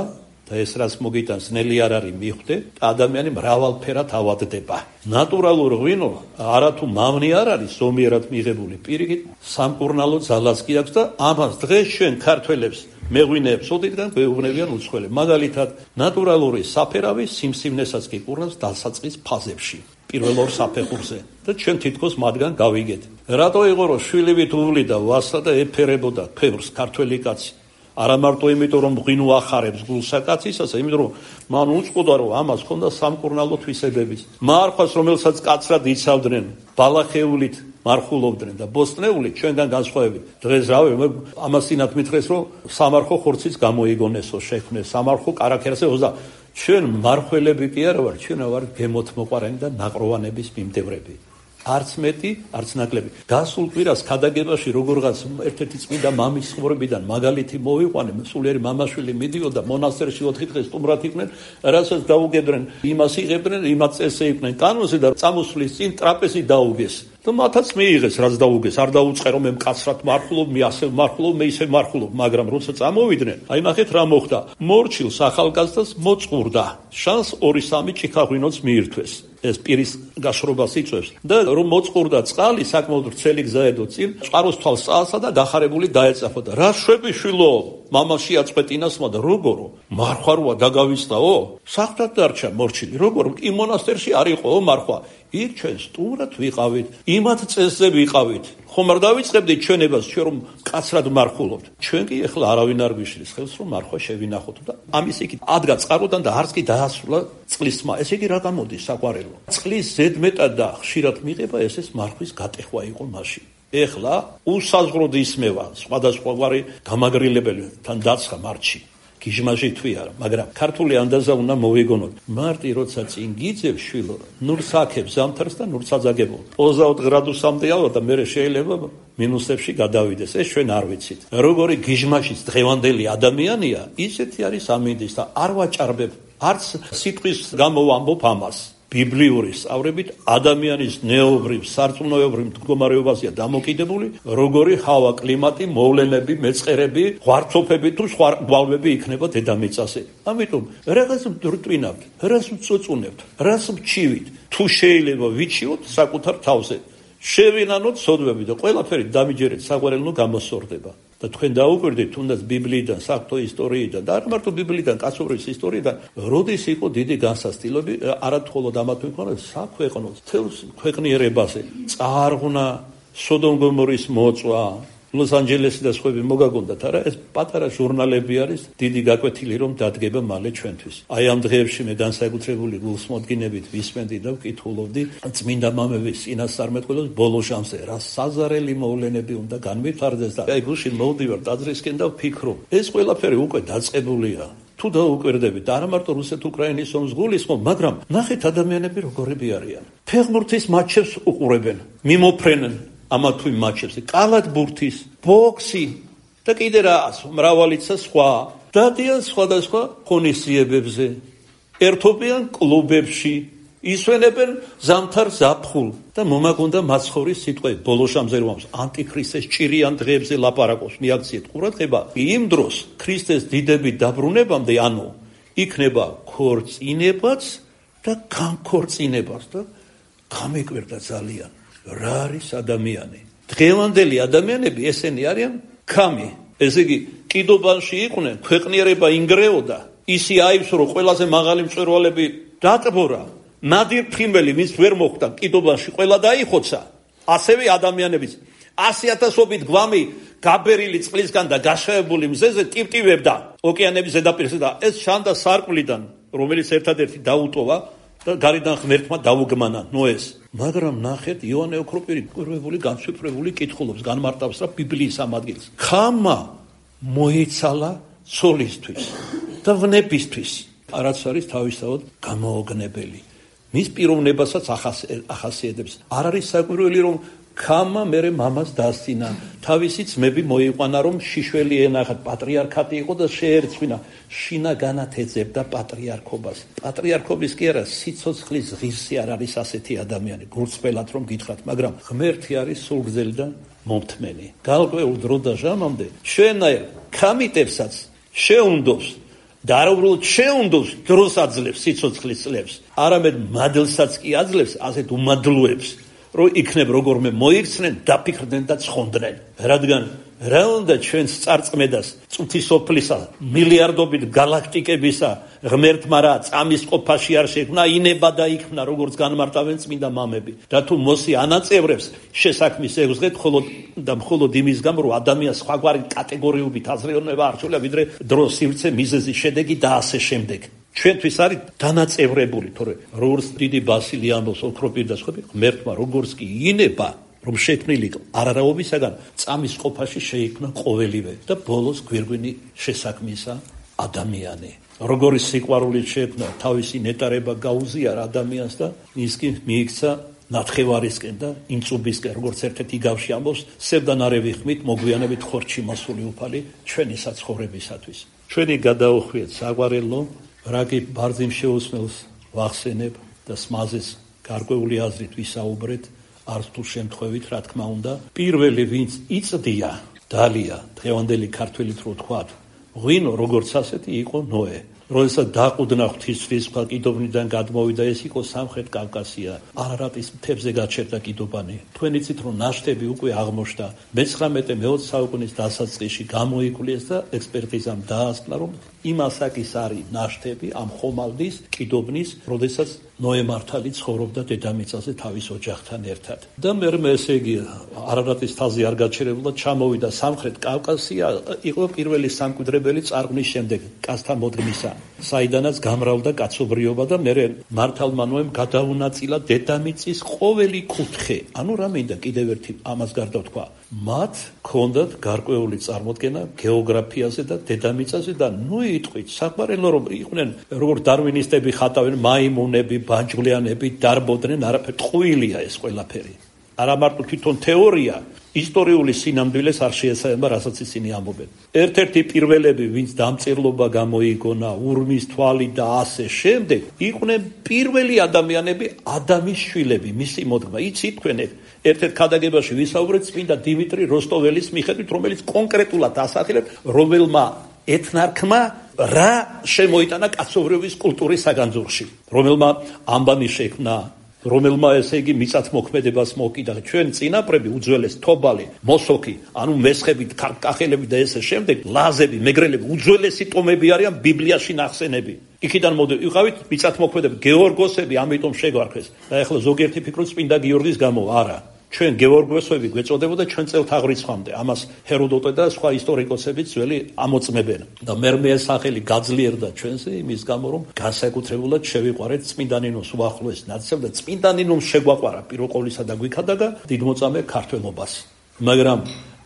და ეს რაც მოგიტანს ნელი არ არის მიხვდე და ადამიანი მრავალფერად ავადდება. ნატურალურ ღვინო არათუ მავნე არ არის ზომიერად მიღებული. პირიქით, სამკურნალო ძალაც კი აქვს და ამას დღეს ჩვენ ქართველებს მეღვინეებს ოდითგან გვეუბნებიან უცხოელები. მაგალითად, ნატურალური საფერავი სიმსივნესაც კი კურნავს დასაწყის ფაზებში. პირველ ორ საფეხურზე და ჩვენ თითქოს მათგან გავიგეთ. რატო იყო რომ შვილივით უვლიდა ვასა და ეფერებოდა ფევრს ქართველი კაცი? არა მარტო იმიტომ რომ ღვინო ახარებს გულსა კაცისასა, იმიტომ რომ მან უწყოდა რომ ამას ჰქონდა სამკურნალო თვისებების. მარხვას რომელსაც კაცრად იცავდნენ, ბალახეულით მარხულობდნენ და ბოსტნეულით ჩვენგან განსხვავებით. დღეს რავი ამასინათ მითხრეს რომ სამარხო ხორციც გამოიგონესო შექმნეს, სამარხო კარაქერზე ოზა. ჩვენ მარხველები კი არა ვარ, ჩვენ ვარ გემოთმოყვარენი და ნაყროვანების მიმდევრები. არც მეტი, არც ნაკლები. გასულ კვირას ქადაგებაში როგორღაც ერთ-ერთი წმინდა მამის ცხოვრებიდან მაგალითი მოვიყვანე, სულიერი მამაშვილი მიდიოდა მონასტერში ოთხი დღე სტუმრად იყვნენ, რასაც დაუგებდნენ, იმას იღებდნენ, იმას წესე იყვნენ კანონზე და წამოსვლის წინ ტრაპეზი დაუგეს. და მათაც მიიღეს, რაც დაუგეს, არ დაუწყე რომ მე მკაცრად მარხულობ, მე ასე მარხულობ, მე ისე მარხულობ, მაგრამ როცა წამოვიდნენ, აი ნახეთ რა მოხდა. მორჩილს ახალგაზრდას მოწყურდა, შანს ორი სამი ჭიქაღვინოც მიირთვეს. ეს პირის გაშრობას იწვევს და რომ მოწყურდა წყალი საკმაოდ ვრცელი გზა ედო წინ, წყაროს თვალს წაასა და გახარებული დაეწაფოდა. რა შვები შვილო, მამაში აწყვეტინასმა და როგორო? მარხვაროა დაგავიწყაო? საერთოდ დარჩა მორჩილი, როგორ კი მონასტერში არ იყოო მარხვა. იქ ჩვენ სტუმრად ვიყავით, იმათ წესზე ვიყავით. ხომ არ დავიწყებდით ჩვენებას, ჩვენ რომ კაცრად მარხულობთ. ჩვენ კი ეხლა არავინ არ გვიშლის ხელს რომ მარხვა შევინახოთ და ამის იქით ადგა წყაროდან და არც კი დაასრულა წყლის ხმა. ესე იგი რა გამოდის საყვარელო? წყლის ზედმეტად და ხშირად მიღება ესეც მარხვის გატეხვა იყო მაშინ. ეხლა უსაზღვროდ ისმევა სხვადასხვაგვარი გამაგრილებელი თან დაცხა მარტში. გიჟმაჟი თვი არა, მაგრამ ქართული ანდაზა უნდა მოვიგონოთ. მარტი როცა წინ გიძევ შვილო, ნურს აქებს ზამთარს და ნურს აძაგებო. ოცდაოთხ გრადუსამდე ავა და მე შეიძლება მინუსებში გადავიდეს. ეს ჩვენ არ ვიცით. როგორი გიჟმაჟის დღევანდელი ადამიანია, ისეთი არის ამინდის და არ ვაჭარბებ არც სიტყვის გამო ვამბობ ამას. ბიბლიური სწავლებით ადამიანის ნეობრივ, სარწმუნოებრივ მდგომარეობაზეა დამოკიდებული, როგორი ჰავა, კლიმატი, მოვლენები, მეწყერები, ღვარცოფები თუ სხვა გვალვები იქნება დედამიწაზე. ამიტომ რაღაც მდრტვინავთ, რაღაც მწუწუნებთ, რაღაც მჩივით, თუ შეიძლება ვიცივოთ საკუთარ თავზე. შევინანოთ სოდვები და ყველაფერი დამიჯერეთ საყვარელნო გამოსორდება. და თქვენ დაუკვირდით თუნდაც ბიბლიიდან, საღვთო ისტორიიდან და არ მარტო ბიბლიიდან, კაცობრიობის ისტორიიდან, როდის იყო დიდი განსასწილები, არა მხოლოდ ამათ ვიყავით, საქვეყნოს, თელს ქვეყნიერებაზე, წარღვნა, სოდომ-გომორის მოწვა, ლოს-ანჯელესი და სხვები მოგაგონდათ, არა, ეს პატარა ჟურნალები არის, დიდი გაკვეთილი რომ დადგება მალე ჩვენთვის. აი ამ დღეებში მე განსაკუთრებული გულსმოდგინებით ვისმენდი და ვკითხულობდი წმინდა მამების წინასწარმეტყველებს ბოლო ჟამზე, რა საზარელი მოვლენები უნდა განვითარდეს და აი გუშინ მოვდივარ ტაძრისკენ და ვფიქრობ, ეს ყველაფერი უკვე დაწყებულია. თუ დაუკვირდებით, არა მარტო რუსეთ-უკრაინის ომს გულისხმობ, მაგრამ ნახეთ ადამიანები როგორები არიან. ფეხბურთის მატჩებს უყურებენ, მიმოფრენენ ამა თუ იმ მატჩებზე, კალათბურთის, ბოქსი და კიდე რას, მრავალიცა სხვა. დადიან სხვადასხვა ღონისძიებებზე, ერთობიან კლუბებში, ისვენებენ ზამთარ ზაფხულ და მომაგონდა მაცხოვრის სიტყვები ბოლო შემზერვამს ანტიქრისტეს ჭირიან დღეებზე ლაპარაკობს მიაქციეთ ყურადღება იმ დროს ქრისტეს დიდებით დაბრუნებამდე ანუ იქნება ქორწინებაც და განქორწინებაც და გამეკვირდა ძალიან რა არის ადამიანი დღევანდელი ადამიანები ესენი არიან კამი ესე იგი კიდობანში იყვნენ ქვეყნიერება ინგრეოდა ისი აიბს რომ ყველაზე მაღალი მწვერვალები დატბორა ნადირ ფრინველი ვის ვერ მოხვდა კიდობანში ყველა დაიხოცა ასევე ადამიანებიც ასი ათასობით გვამი გაბერილი წყლისგან და გაშავებული მზეზე ტივტივებდა ოკეანეების ზედაპირზე და ეს ჩანდა სარკმლიდან რომელიც ერთადერთი დაუტოვა და გარედან ღმერთმა დაუგმანა ნოეს მაგრამ ნახეთ იოანე ოქროპირი კვირვებული განსვიფრებული კითხულობს განმარტავს რა ბიბლიის ამ ადგილს ხამა მოიცალა ცოლისთვის და ვნებისთვის რაც არის თავისთავად გამოოგნებელი მის პიროვნებასაც ახასიათებს არ არის საკვირველი რომ ხამა მერე მამას დასცინა თავისი ძმები მოიყვანა რომ შიშველი ენახათ პატრიარქატი იყო და შეერცვინა შინაგანად ეძებდა პატრიარქობას პატრიარქობის კი არა სიცოცხლის ღირსი არ არის ასეთი ადამიანი გულწრფელად რომ გითხრათ მაგრამ ღმერთი არის სულგრძელი და მომთმენი გარკვეულ დრო და ჟამამდე შენაერ კამიტებსაც შეუნდობს და არ უბრალოდ შეუნდობს დროს აძლევს სიცოცხლის წლებს არამედ მადლსაც კი აძლევს ასეთ უმადლოებს რომ იქნებ როგორმე მოიქცნენ დაფიქრდნენ და ცხონდნენ რადგან რა უნდა ჩვენს წარწმედას წუთისოფლისა მილიარდობით გალაქტიკებისა ღმერთმა რა წამის ყოფაში არ შექმნა ინება და იქმნა როგორც განმარტავენ წმინდა მამები და თუ მოსი ანაწევრებს შესაქმის ევზღეთ მხოლოდ და მხოლოდ იმის გამო რომ ადამიანს სხვაგვარი კატეგორიებით აზროვნება არჩევია ვიდრე დროს სივრცე მიზეზი შედეგი და ასე შემდეგ ჩვენთვის არის დანაწევრებული თორე როგორც დიდი ბასილი ამბობს ოქროპირი და სხვები ღმერთმა როგორც კი ინება რომ შექმნილი არარაობისაგან წამის ყოფაში შეიქმნა ყოველივე და ბოლოს გვირგვინი შესაქმისა ადამიანი როგორი სიყვარულით შექმნა თავისი ნეტარება გაუზიარა ადამიანს და ის კი მიიქცა ნათხევარისკენ და ინწუბისკენ როგორც ერთ-ერთი გავში ამბობს სევდანარევი ხმით მოგვიანებით ხორჩი მოსული უფალი ჩვენი საცხოვრებისათვის ჩვენი გადაუხვიეთ საყვარელო რაგი ბარძიმ შეусმელს ვახსენებ და სმაზეს გარკვეული აზრით ვისაუბრეთ არც თუ შემთხვევით რა თქმა უნდა პირველი ვინც იწდია დალია დღევანდელი ქართველით რო თქვათ ღვინო როგორც ასეთი იყო ნოე როდესაც დაყუდნა ღვთისმშობლის სხვა კიდობნიდან გადმოვიდა ეს იყო სამხრეთ კავკასია არარატის მთებზე გაჩერდა კიდობანი თქვენ იცით რომ ნაშთები უკვე აღმოჩნდა მეცხრამეტე მეოცე საუკუნის დასაწყისში გამოიკვლიეს და ექსპერტიზამ დაასკვნა რომ იმ ასაკის არის ნაშთები ამ ხომალდის კიდობნის როდესაც ნოე მართალი ცხოვრობდა დედამიწაზე თავის ოჯახთან ერთად და მერმე ესე იგი არარატის თაზი არ გაჩერებულა ჩამოვიდა სამხრეთ კავკასია იყო პირველი სამკვიდრებელი წარღვნის შემდეგ კაცთა მოდგმისა საიდანაც გამრავლდა კაცობრიობა და მერე მართალმა ნოემ გადაუნაწილა დედამიწის ყოველი კუთხე ანუ რა მინდა კიდევ ერთი ამას გარდა თქვა მათ ქონდათ გარკვეული წარმოდგენა გეოგრაფიაზე და დედამიწაზე და ნუ იტყვით საყვარელო რომ იყვნენ როგორც დარვინისტები ხატავენ მაიმუნები ბანჯგვლიანები დარბოდნენ არაფერ ტყუილია ეს ყველაფერი არა მარტო თვითონ თეორია ისტორიული სინამდვილეს არ შეესაბამება რასაც ისინი ამბობენ ერთ-ერთი პირველები ვინც დამწერლობა გამოიგონა ურმის თვალი და ასე შემდეგ იყვნენ პირველი ადამიანები ადამის შვილები მისი მოდგმა იცით თქვენ ერთ-ერთ ქადაგებაში ვისაუბრეთ წმინდა დიმიტრი როსტოველის მიხედვით რომელიც კონკრეტულად ასახელებს რომელმა ეთნარქმა რა შემოიტანა კაცობრიობის კულტურის საგანძურში რომელმა ამბანი შექმნა რომელმა ესე იგი მიწათმოქმედებას მოკიდა ჩვენ წინაპრები უძველეს თობალი მოსოქი ანუ მესხები კახელები და ესე შემდეგ ლაზები მეგრელები უძველესი ტომები არიან ბიბლიაში ნახსენები იქიდან მოდი იყავით მიწათმოქმედები გეორგოსები ამიტომ შეგვარქვეს და ეხლა ზოგიერთი ფიქრობს წმინდა გიორგის გამო არა ჩვენ გეორგოსები გვეწოდებოდა ჩვენ წელთაღრიცხვამდე ამას ჰეროდოტე და სხვა ისტორიკოსები ძველი ამოწმებენ და მერმე ეს სახელი გაძლიერდა ჩვენზე იმის გამო რომ განსაკუთრებულად შევიყვარეთ წმინდა ნინოს უახლოეს ნაცევ და წმინდა ნინომ შეგვაყვარა პირველ ყოვლისა და გვიქადაგა დიდმოწამე ქართველობას მაგრამ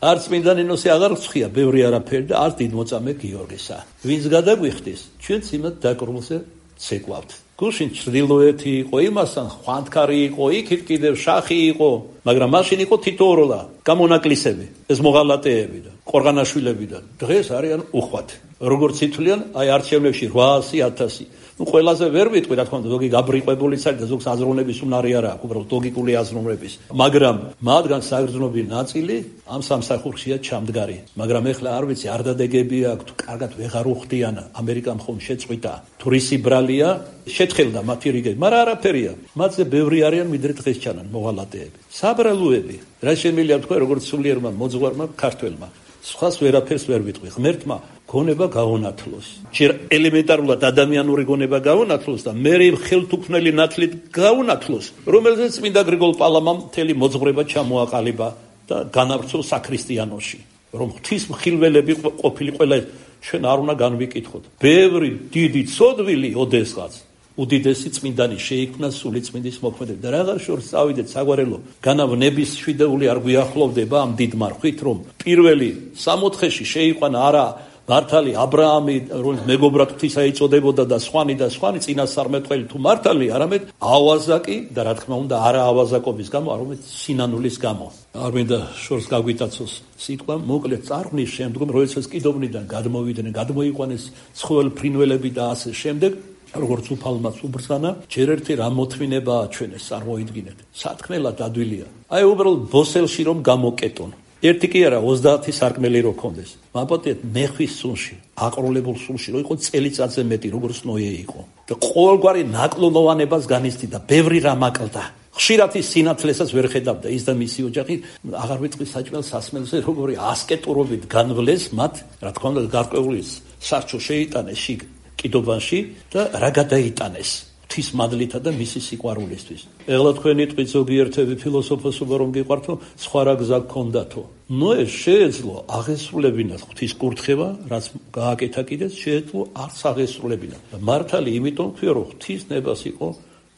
არც წმინდა ნინოსი აღარ ცხია ბევრი არაფერი და არც დიდმოწამე გიორგისა ვინც გადაგვიხდის ჩვენც იმათ დაკრულზე ცეკვავთ გუშინ ჩრდილოეთი იყო იმასთან ხვანდქარი იყო იქით კიდევ შახი იყო მაგრამ მაშინ იყო თითოეულა გამონაკლისები ეს მოღალატეები და ყორღანაშვილები და დღეს არიან უხვად როგორც ითვლიან, აი არჩევნებში რვაასი ათასი. ნუ ყველაზე ვერ ვიტყვი, რა თქმა უნდა, ზოგი გაბრიყვებულიც არის და ზოგს აზროვნების უნარი არა აქვს, უბრალოდ ლოგიკური აზროვნების. მაგრამ მათგან საგრძნობი ნაწილი ამ სამსახურშია ჩამდგარი. მაგრამ ეხლა არ ვიცი, არ დადეგები აქვს, თუ კარგად ვეღარ უხდიან, ამერიკამ ხომ შეწყვიტა. თუ რისი ბრალია, შეთხელდა მათი რიგები, მაგრამ არაფერია. მათზე ბევრი არიან, ვიდრე დღეს ჩანან მოღალატეები. საბრალოები, რა შემიძლია თქვა, როგორც სულიერმა მოძღვარმა ქართველმა. სხვას ვერაფერს ვერ ვიტყვი. ღმერთმა გონება გაუნათლოს. ჯერ ელემენტარულად ადამიანური გონება გაუნათლოს და მე ხელთუქმნელი ნათლით გაუნათლოს, რომელზეც წმინდა გრიგოლ პალამამ მთელი მოძღვრება ჩამოაყალიბა და განავრცო საქრისტიანოში. რომ ღვთის მხილველები ყოფილი ყველა ჩვენ არ უნდა განვიკითხოთ. ბევრი დიდი ცოდვილი ოდესღაც უდიდესი წმინდანი შეიქმნა სული წმინდის მოქმედებით და რაღაც შორს წავიდეთ საგვარელო განავნების შვიდეული არ გვიახლოვდება ამ დიდ მარხვით, რომ პირველი სამოთხეში შეიყვანა არა მართალი აბრაამი, რომელიც მეგობრად ღვთისა იწოდებოდა და სხვანი და სხვანი წინასწარმეტყველი თუ მართალი, არამედ ავაზაკი და რა თქმა უნდა არა ავაზაკობის გამო, არამედ სინანულის გამო. არ მინდა შორს გაგვიტაცოს სიტყვა, მოკლედ წარღვნის შემდგომ, როდესაც კიდოვნიდან გადმოვიდნენ, გადმოიყვანეს ცხოველ ფრინველები და ასე შემდეგ, როგორც უფალმაც უბრძანა, ჯერ ერთი რა მოთმინება აჩვენეს, წარმოიდგინეთ. სათქმელად ადვილია. აი უბრალოდ ბოსელში რომ გამოკეტონ. ერთი კი არა, ოცდაათი სარკმელი რო ქონდეს. მაპატიეთ მეხვის სულში, აყრულებულ სულში, რო იყო წელიწადზე მეტი, როგორც ნოე იყო. და ყოველგვარი ნაკლონოვანებას განიცდიდა, ბევრი რამ აკლდა. ხშირად ის სინათლესაც ვერ ხედავდა, ის და მისი ოჯახი, აღარ ვიტყვი საჭმელ სასმელზე, როგორი ასკეტურობით განვლეს მათ, რა თქმა უნდა, გარკვეული სარჩო შეიტანეს შიგ კიდობანში და რა გადაიტანეს ღვთის მადლითა და მისი სიყვარულისთვის. ეხლა თქვენი ტყვით ზოგიერთები ფილოსოფოსობა რომ გიყვართო, სხვა რა გზა გქონდათო. ნოე შეეძლო აღესრულებინათ ღვთის კურთხევა, რაც გააკეთა კიდეც, შეეძლო არც აღესრულებინათ. მართალი იმიტომ ვთქვია, რომ ღვთის ნებას იყო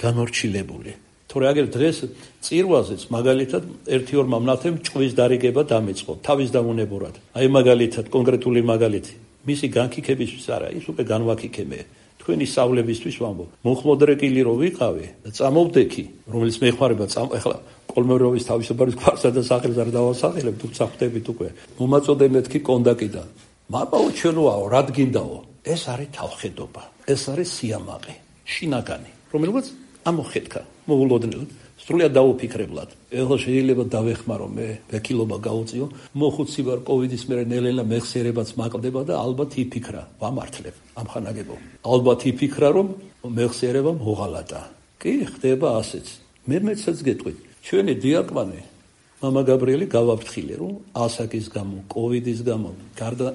განორჩილებული. თორე აგერ დღეს წირვაზეც მაგალითად ერთი ორ მამლათემ ჭყვის დარიგება დამეწყო, თავის დამონებურად. აი მაგალითად კონკრეტული მაგალითი. მისი განკიქებისთვის არა, ის უკვე განვაკიქებე. თქვენი სწავლებისთვის ვამბობ. მოხმოდრეკილი რო ვიყავი და წამოვდექი, რომელიც მეხვარება წამ ახლა კოლმეუროვის თავისუფლების გვარსა და სახელს არ დავასახელებ, თუმცა ხვდებით უკვე. მომაწოდე მეთქი კონდაკიდან. მამაო ჩვენოაო, რად გინდაო? ეს არის თავხედობა. ეს არის სიამაყე, შინაგანი, რომელსაც ამოხედქა, მოულოდნელად. სრულიად დაუფიქრებლად. ეხლა შეიძლება დავეხმარო მე, ვექილობა გაუწიო, მოხუცი ვარ კოვიდის მერე ნელ-ნელა მეხსიერებაც მაკლდება და ალბათ იფიქრა, ვამართლებ ამხანაგებო. ალბათ იფიქრა, რომ მეხსიერება მოღალატა. კი, ხდება ასეც. მე მეცაც გეტყვით, ჩვენი დიაკვანი მამა გაბრიელი გავაფრთხილე, რომ ასაკის გამო, კოვიდის გამო, გარდა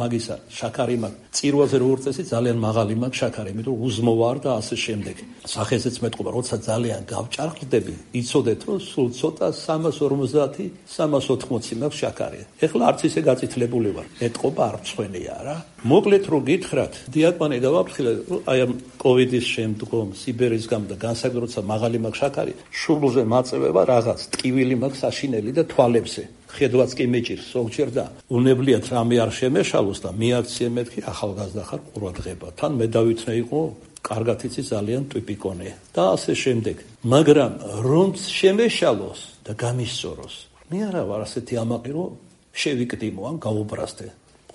მაგისა, შაქარი მაქვს, წირვაზე რო უწესი ძალიან მაღალი მაქვს შაქარი, იმიტომ რომ უზმო ვარ და ასე შემდეგ. სახეზეც მეტყობა, როცა ძალიან გავჭარბდები, იცოდეთ, რომ სულ ცოტა სამას ორმოცდაათი, სამას ოთხმოცი მაქვს შაქარი. ეხლა არც ისე გაწითლებული ვარ. ეტყობა არ მწვენეა რა. მოკლედ რო გითხრათ, დიაკვანი გავაფრთხილე, აი ამ კოვიდის შემდგომ, სიბერის გამო და განსაკუთრებით როცა მაღალი მაქვს შაქარი, შუბლზე მაწევება რაღაც, ტკივილი მაქვს საშინელი და თვალებზე. ხედვაც კი მეჭირს ზოგჯერ და უნებლიათ რამე არ შემეშალოს და მიაქციე მეთქი ახალგაზრდა ხარ ყურადღება. თან მე დავითნე იყო, კარგად იცი ძალიან ტიპიკონე და ასე შემდეგ. მაგრამ რომ შემეშალოს და გამისწოროს, მე არა ვარ ასეთი ამაყი, რომ შევიკდიმო ან გაუბრასდე.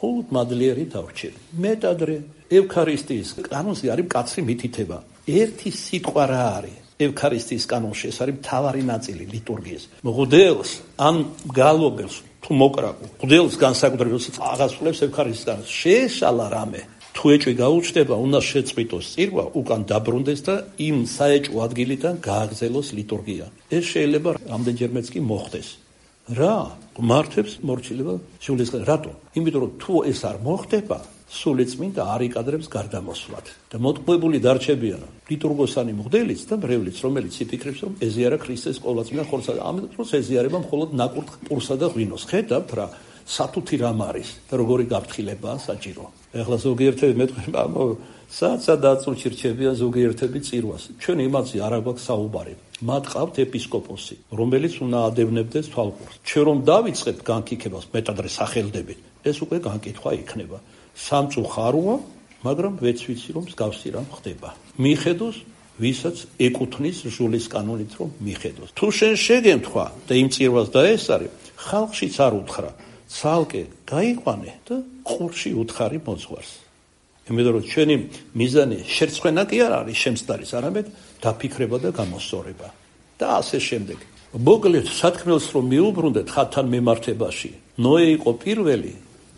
მხოლოდ მადლიერი დავრჩები. მეტადრე ევქარისტიის კანონში არის მკაცრი მითითება. ერთი სიტყვა რა არის? ევქარისტიის კანონში ეს არის მთავარი ნაწილი ლიტურგიის. მღვდელს ან გალობელს თუ მოკრაკო, მღვდელს განსაკუთრებით როცა აღასრულებს ევქარისტიის კანონს, შეეშალა რამე. თუ ეჭვი გაუჩნდება, უნდა შეწყვიტოს წირვა, უკან დაბრუნდეს და იმ საეჭვო ადგილიდან გააგრძელოს ლიტურგია. ეს შეიძლება რამდენჯერმეც კი მოხდეს. რა? მართებს მორჩილება სულისგან. რატო? იმიტომ რომ თუ ეს არ მოხდება, სული წმინდა არ იკადრებს გარდამოსვლად და მოტყუებული დარჩებიან ლიტურგოსანი მღვდელიც და მრევლიც, რომელიც იფიქრებს, რომ ეზიარა ქრისტეს ყოვლადწმინდა ხორცსა და ამიტომ დროს ეზიარება მხოლოდ ნაკურთხ პურსა და ღვინოს. ხედავთ რა სათუთი რამ არის და როგორი გაფრთხილებაა საჭირო. ეხლა ზოგიერთები მეტყვი, საცა დაწუჩი რჩებიან ზოგიერთები წირვას. ჩვენ იმაზე არ აქვს საუბარი. მათ ყავთ ეპისკოპოსი, რომელიც უნდა ადევნებდეს თვალყურს. ჩვენ რომ დავიწყებთ განკიქებას მეტადრე სახელდებით, ეს უკვე განკითხვა იქნება. სამწუხაროა, მაგრამ ვეც ვიცი რომ მსგავსი რამ ხდება. მიხედოს, ვისაც ეკუთვნის ჟულის კანონით რომ მიხედოს. თუ შენ შეგემთხვა და იმ წირვას დაესწარი, ხალხშიც არ უთხრა. ცალკე გაიყვანე და ყურში უთხარი მოძღვარს. იმიტომ რომ ჩვენი მიზანი შერცხვენა კი არ არის შემცდარის, არამედ დაფიქრება და გამოსწორება და ასე შემდეგ. მოკლედ სათქმელს რომ მიუბრუნდეთ ხატთან მიმართებაში, ნოე იყო პირველი,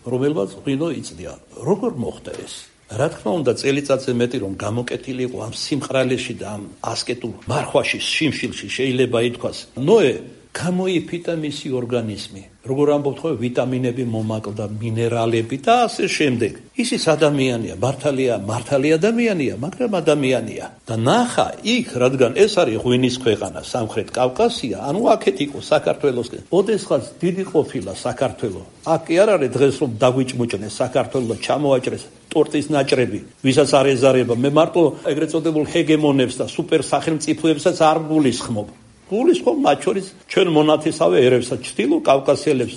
რომელმაც ღვინო იწდია. როგორ მოხდა ეს? რა თქმა უნდა, წელიწადზე მეტი რომ გამოკეთილი იყო ამ სიმყრალეში და ამ ასკეტურ მარხვაში, შიმშილში შეიძლება ითქვას. ნოე გამოიფიტა მისი ორგანიზმი. როგორ ამბობთ ხო, ვიტამინები მომაკლდა, მინერალები და ასე შემდეგ. ის ის ადამიანია, მართალია, მართალი ადამიანია, მაგრამ ადამიანია. და ნახა იქ, რადგან ეს არის ღვინის ქვეყანა, სამხრეთ კავკასია, ანუ აქეთ იყო საქართველოსკენ. ოდესღაც დიდი ყოფილა საქართველო. აქ კი არ არის დღეს რომ დაგვიჭმუჭნეს საქართველოს, ჩამოაჭრეს ტორტის ნაჭრები, ვისაც არ ეზარება. მე მარტო ეგრეთ წოდებულ ჰეგემონებს და სუპერ სახელმწიფოებსაც არ გულისხმობ. გულისხმობ მათ შორის ჩვენ მონათესავე ერებსაც, ჩრდილო კავკასიელებს.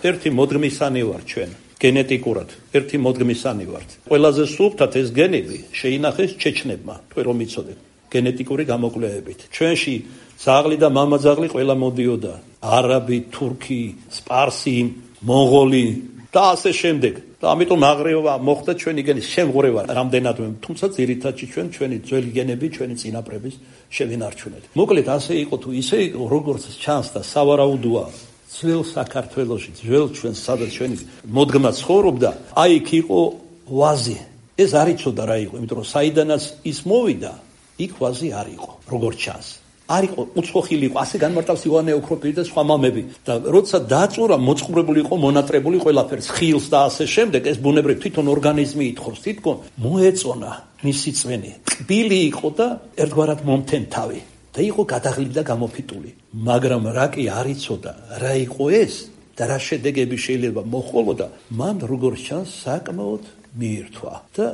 ერთი მოდგმისანი ვარ ჩვენ, გენეტიკურად, ერთი მოდგმისანი ვართ. ყველაზე სუფთად ეს გენები შეინახეს ჩეჩნებმა, თქვენ რომ იცოდეთ, გენეტიკური გამოკვლევებით. ჩვენში ძაღლი და მამაძაღლი ყველა მოდიოდა, არაბი, თურქი, სპარსი, მონღოლი და ასე შემდეგ. და ამიტომ აღრევა მოხდა ჩვენი გენის შემღვრევა რამდენადმე, თუმცა ძირითადში ჩვენ ჩვენი ძველი გენები, ჩვენი წინაპრების შევინარჩუნეთ. მოკლედ ასე იყო თუ ისე იყო, როგორც ჩანს და სავარაუდოა, ძველ საქართველოში, ძველ ჩვენს სადაც ჩვენი მოდგმა ცხოვრობდა, აი იქ იყო ვაზი. ეს არ იცოდა რა იყო, იმიტომ რომ საიდანაც ის მოვიდა, იქ ვაზი არ იყო, როგორც ჩანს. არ იყო უცხოხილი იყო, ასე განმარტავს ივანე ოქროპირი და სხვა მამები. და როცა დაწურა, მოწყუბრებული იყო, მონატრებული ყველაფერს, ხილს და ასე შემდეგ, ეს ბუნებრივ თვითონ ორგანიზმი ითხოვს, თითქოს მოეწონა მისი წვენი. ტკბილი იყო და ერთგვარად მომთენთავი და იყო გადაღლილი და გამოფიტული. მაგრამ რა კი არ იცოდა, რა იყო ეს და რა შედეგები შეიძლება მოჰყოლოდა, მან როგორც ჩანს საკმაოდ მიირთვა და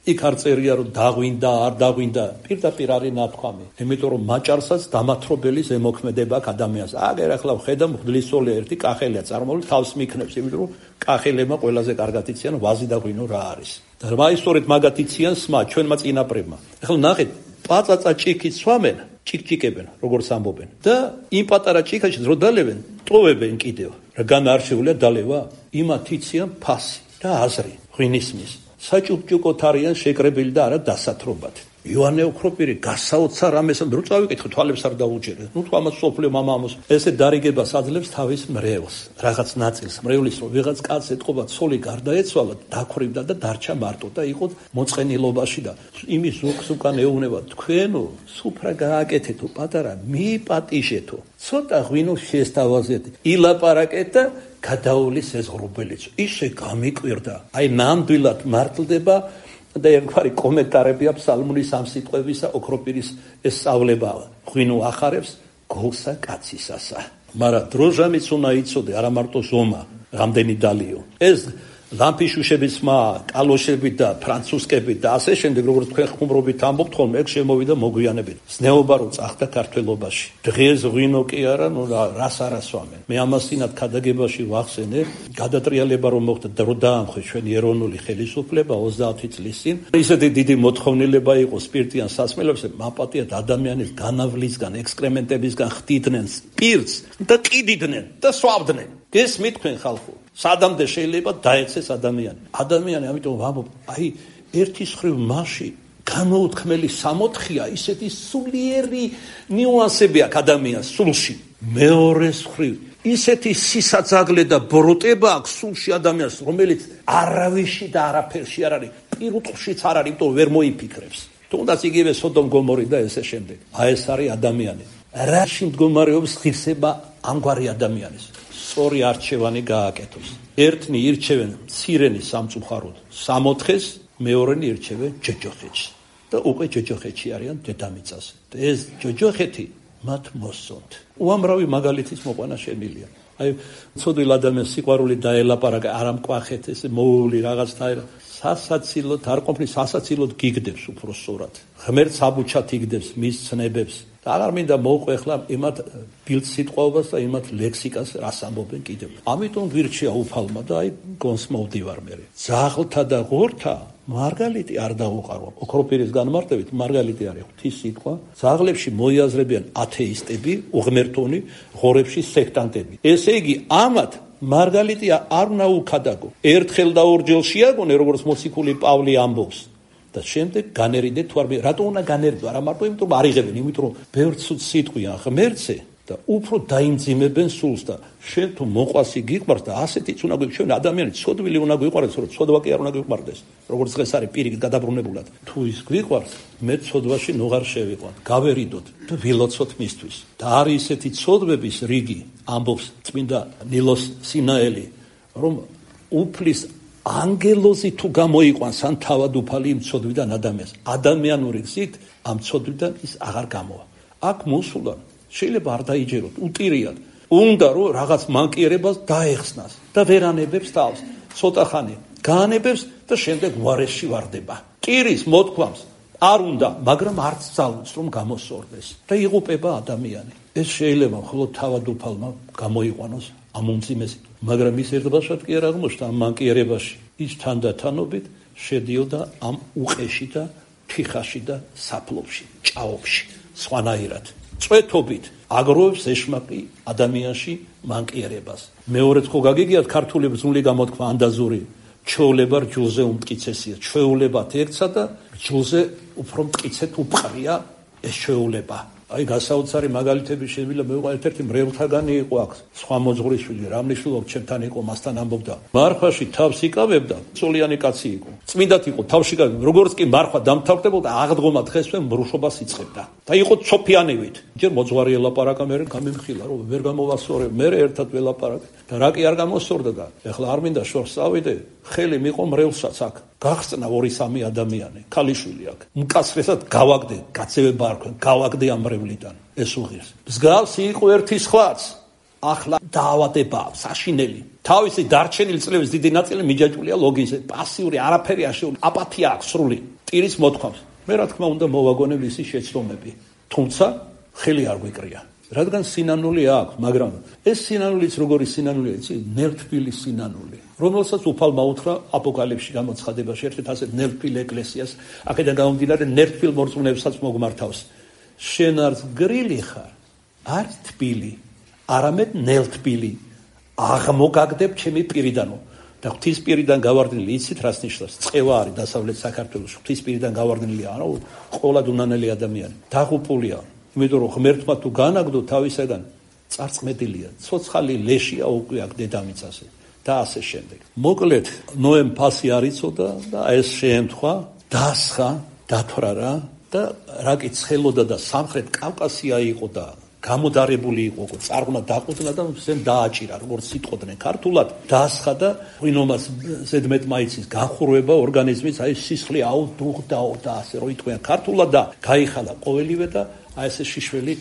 იქ არ წერია რომ დაღვინდა, არ დაღვინდა, პირდაპირ არის ნათქვამი. იმიტომ რომ მაჭარსაც დამათრობელი ზემოქმედება აქვს ადამიანს. აგერ ახლა ხედა მღვდლისწოლი ერთი კახელია წარმოული თავს მიქნებს, იმიტომ რომ კახელებმა ყველაზე კარგად იციან ვაზი და ღვინო რა არის. და მაისტორეთ მაგათ იციან სმა ჩვენმა წინაპრებმა. ახლა ნახეთ, პაწაწა ჭიქით სვამენ, ჭიქჭიკებენ, როგორც ამბობენ. და იმ პატარა ჭიქაში რო დალებენ, ტოვებენ კიდევ. რა განარჩეულია დალევა? იმათ იციან ფასი და აზრი ღვინისმის. საჭუჭუკოთ არიან შეკრებილი და არა დასათრობად. ივანე ოქროპირი გასაოცარ ამეს რო წავიკითხე, თვალებს არ დაუჯერე. ნუ თუ ამას სოფლე მამამოს ესე დარიგებას აძლევს თავის მრევლს, რაღაც ნაწილს, მრევლის რომ ვიღაც კაცს ეთყობა ცოლი გარდაეცვალა, დაქრიბდა და დარჩა მარტო და იყო მოწყენილობაში და იმის ზოგს უკან ეუბნება, თქვენო სუფრა გააკეთეთო, პატარა მიიპატიჟეთო, ცოტა ღვინო შეესთავაზეთ, ილაპარაკეთ და გადაულის ეს ღრუბელიც. ისე გამიკვირდა, აი ნამდვილად მართლდება და ერთგვარი კომენტარები აქვს სალმუნის ამ სიტყვებისა, ოქროპირის ეს სწავლება ღვინო ახარებს გოლსა კაცისასა. მაგრამ დროჟამიც უნდა იცოდე, არა მარტო ზომა, რამდენი დალიო. ეს ლამფიშუშების მა, კალოშები და ფრანცუსკები და ასე შემდეგ, როგორც თქვენ ხუმრობით ამბობთ ხოლმე, ეგ შემოვიდა მოგვიანებით. ზნეობა რო წახდა ქართველობაში. დღეს ღვინო კი არა, ნუ რას არასვამენ. მე ამასინად ქადაგებაში ვახსენე, გადატრიალება რომ მოხდა და რო დაამხეს ჩვენი ეროვნული ხელისუფლება ოცდაათი წლის წინ. ისეთი დიდი მოთხოვნილება იყო სპირტიან სასმელებზე, მაპატიათ ადამიანის განავლისგან, ექსკრემენტებისგან ხდიდნენ სპირტს და ყიდიდნენ და სვავდნენ. გესმით თქვენ ხალხო? სადამდე შეიძლება დაეცეს ადამიანი. ადამიანი, ამიტომ ვამბობ, აი ერთის ხრივ მასში გამოუთქმელი სამოთხია, ისეთი სულიერი ნიუანსები აქვს ადამიანს სულში. მეორეს ხრივ ისეთი სისაძაგლე და ბროტება აქვს სულში ადამიანს, რომელიც არავიში და არაფერში არ არის, პირუტყვშიც არ არის, იმიტომ ვერ მოიფიქრებს. თუნდაც იგივე სოდომ გომორი და ესე შემდეგ. აი ეს არის ადამიანი. რაში მდგომარეობს ღირსება ამგვარი ადამიანის? სწორი არჩევანი გააკეთოს. ერთნი ირჩევენ მცირენი სამწუხაროდ სამოთხეს, მეორენი ირჩევენ ჯოჯოხეთს. და უკვე ჯოჯოხეთში არიან დედამიწაზე. და ეს ჯოჯოხეთი მათ მოსწონთ. უამრავი მაგალითის მოყვანა შემილია. აი, ცოდვილ ადამიანს სიყვარული დაელაპარაკა, არ ამკვახეთ, ეს მოული რაღაცა სასაცილოდ არ ყოფნის სასაცილოდ გიგდებს უფრო სწორად. ღმერთს აბუჩად იგდებს მის ცნებებს. და აღარ მინდა მოვყვე ახლა იმათ ბილდ სიტყვაობას და იმათ ლექსიკას რას ამბობენ კიდევ. ამიტომ ვირჩია უფალმა და აი გონს მოვდივარ მე. ძაღლთა და ღორთა მარგალიტი არ დაუყარო. ოქროპირის განმარტებით მარგალიტი არის ღვთის სიტყვა. ძაღლებში მოიაზრებიან ათეისტები, უღმერთონი, ღორებში სექტანტები. ესე იგი ამათ მარგალიტი არ უნდა უქადაგო. ერთხელ და ორჯერ შეაგონე, როგორც მოციქული პავლე ამბობს. და შემდეგ განერიდე თუ არ რატო უნდა განერიდო? არა მარტო იმიტომ რომ არ იღებენ, იმიტომ რომ ბევრ ცუდ სიტყვია ღმერთზე და უფრო დაიმძიმებენ სულს და შენ თუ მოყვასი გიყვარს და ასეთიც უნდა გვიყვარდეს. ჩვენ ადამიანი ცოდვილი უნდა გვიყვარდეს, რომ ცოდვა კი არ უნდა გვიყვარდეს. როგორც დღეს არის პირიქით გადაბრუნებულად. თუ ის გვიყვარს, მე ცოდვაში ნუღარ შევიყვან. გავერიდოთ და ვილოცოთ მისთვის. და არის ისეთი ცოდვების რიგი, ამბობს წმინდა ნილოს სინაელი, რომ უფლის ანგელოზი თუ გამოიყვანს ან თავად უფალი იმ ცოდვიდან ადამიანს, ადამიანური გზით ამ ცოდვიდან ის აღარ გამოვა. აქ მოსულან შეიძლება არ დაიჯეროთ, უტირიათ. უნდა რომ რაღაც მანკიერებას დაეხსნას და ვერანებებს თავს. ცოტა ხანი გაანებებს და შემდეგ უარეში ვარდება. ტირის მოთქვამს არ უნდა, მაგრამ არც ძალუց რომ გამოსორდეს და იღუპება ადამიანი. ეს შეიძლება მხოლოდ თავად უფალმა გამოიყვანოს ამ უმძიმესი, მაგრამ ის ერთბაშად კი არ აღმოჩნდა ამ მანკიერებაში. ის თანდათანობით შედიოდა ამ უყეში და თიხაში და საფლობში, ჭაობში, სხვანაირად. წვეთობით აგროვებს ეშმაკი ადამიანში მანკიერებას. მეორედ ხო გაგიგიათ ქართული ბრძული გამოთქვა ანდაზური, ჩვეულება რჯულზე უმტკიცესია. ჩვეულებათ ერთსა და რჯულზე უფრო მტკიცეთ უპყრია ეს ჩვეულება. აი გასაოცარი მაგალითები შეიძლება მოვიყვა. ერთ-ერთი მრევლთაგანი იყო აქ, სხვა მოძღვრიშვილი, რა მნიშვნელობა ჩემთან იყო, მასთან ამბობდა. მარხვაში თავს იკავებდა, წოლიანი კაცი იყო. წმინდად იყო, თავში კავებდა. როგორც კი მარხვა დამთავრდებოდა, აღდგომა დღესვე მრუშობას იწყებდა. და იყო ცოფიანივით. ჯერ მოძღვარი ელაპარაკა, მე გამიმხილა, რომ ვერ გამოვასწორე, მე ერთად ველაპარაკე. და რა კი არ გამოსწორდა და ეხლა არ მინდა შორს წავიდე, ხელი მიყო მრევლსაც აქ. გახსნა ორი სამი ადამიანი, ქალიშვილი აქ. მკაცრესად გავაგდე, გაცევება არ ქონდა, გავაგდე ამ მრევლიდან. ეს უღირს. მსგავსი იყო ერთი სხვაც. ახლა დაავადება, საშინელი. თავისი დარჩენილი წლების დიდი ნაწილი მიჯაჭვულია ლოგიზე, პასიური, არაფერი არ შეუძლია, აპათია აქვს სრული. ტირის მოთქვამს. მე რა თქმა უნდა მოვაგონე მისი შეცდომები. თუმცა ხელი არ გვიკრია. რადგან სინანული აქვს, მაგრამ ეს სინანულიც როგორი სინანულია, იცი? ნერტფილი სინანული. რომელსაც უფალმა უთხრა აპოკალიფში გამოცხადებაში, ერთ-ერთ ასეთ ნერტფილ ეკლესიას, აქედან გამომდინარე ნერტფილ მორწმუნეებსაც მოგმართავს. შენ არც გრილი ხარ, არ თბილი, არამედ ნელთბილი. აღმოგაგდებ ჩემი პირიდანო. და ღვთის პირიდან გავარდნილი, იცით რას ნიშნავს? წყევა არის დასავლეთ საქართველოს, ღვთის პირიდან გავარდნილია, ანუ ყოლად უნანელი ადამიანი. დაღუპულია. იმიტომ რომ ღმერთმა თუ განაგდო თავისაგან, წარწმედილია, ცოცხალი ლეშია უკვე აქ დედამიწაზე და ასე შემდეგ. მოკლედ, ნოემ ფასი არ იცოდა და ეს შეემთხვა, დასხა, დათვრა და რა კი ცხელოდა და სამხრეთ კავკასია იყო და გამოდარებული იყო, წარღვნა დაყუძნა და ზემ დააჭირა, როგორც სიტყოდნენ ქართულად, დასხა და ღვინომას ზედმეტ მაიცის განხურვება ორგანიზმის, აი სისხლი აუდუღდაო და ასე რო იტყვიან ქართულად და გაიხალა ყოველივე და აი ესე შიშველი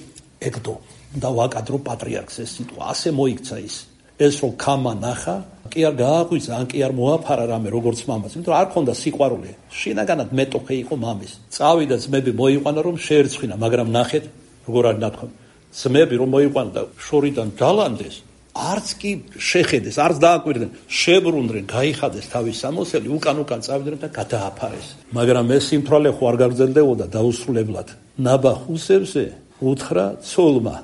ეგდო და ვაკადრო პატრიარქს ეს სიტყვა, ასე მოიქცა ის. ეს რომ ქამა ნახა, კი არ გააღვიძა, ან კი არ მოაფარა რამე როგორც მამას, იმიტომ რომ არ ქონდა სიყვარული. შინაგანად მეტოქე იყო მამის. წავიდა ძმები მოიყვანა რომ შეერცხვინა, მაგრამ ნახეთ როგორ არის ნათქვამი. ძმები რომ მოიყვანა და შორიდან დალანდეს, არც კი შეხედეს, არც დააკვირდნენ, შებრუნდნენ, გაიხადეს თავის სამოსელი, უკან უკან წავიდნენ და გადააფარეს. მაგრამ ეს სიმთვრალე ხო არ გაგრძელდებოდა დაუსრულებლად. ნაბა ხუსებზე უთხრა ცოლმა,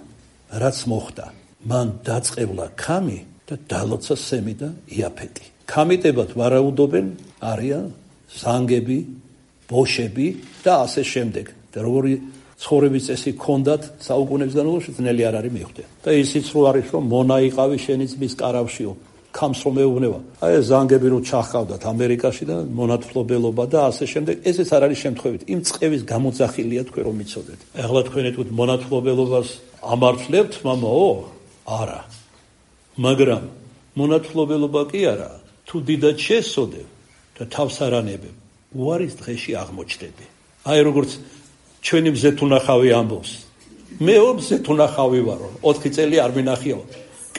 რაც მოხდა. მან დაწყევლა ქამი და დალოცა სემი და იაფეტი. ქამიტებად ვარაუდობენ არიან ზანგები, ბოშები და ასე შემდეგ. და როგორი ცხოვრების წესი ჰქონდათ საუკუნეების განმავლობაში ძნელი არ არის მიხვდე. და ისიც რო არის რომ მონა იყავი შენი ძმის კარავშიო, ქამს რომ ეუბნება. აი ეს ზანგები რო ჩახავდათ ამერიკაში და მონათფლობელობა და ასე შემდეგ, ესეც არ არის შემთხვევით. იმ წყევის გამოძახილია თქვენ რომ იცოდეთ. ეხლა თქვენ ეთქვით მონათფლობელობას ამართლებთ, მამაო? არა. მაგრამ მონათფლობელობა კი არა, თუ დიდად შესოდებ და თავს არანებებ, უარის დღეში აღმოჩნდები. აი როგორც ჩვენი მზეთუნახავი ამბობს. მეო მზეთუნახავი ვარო, ოთხი წელი არ მინახიაო.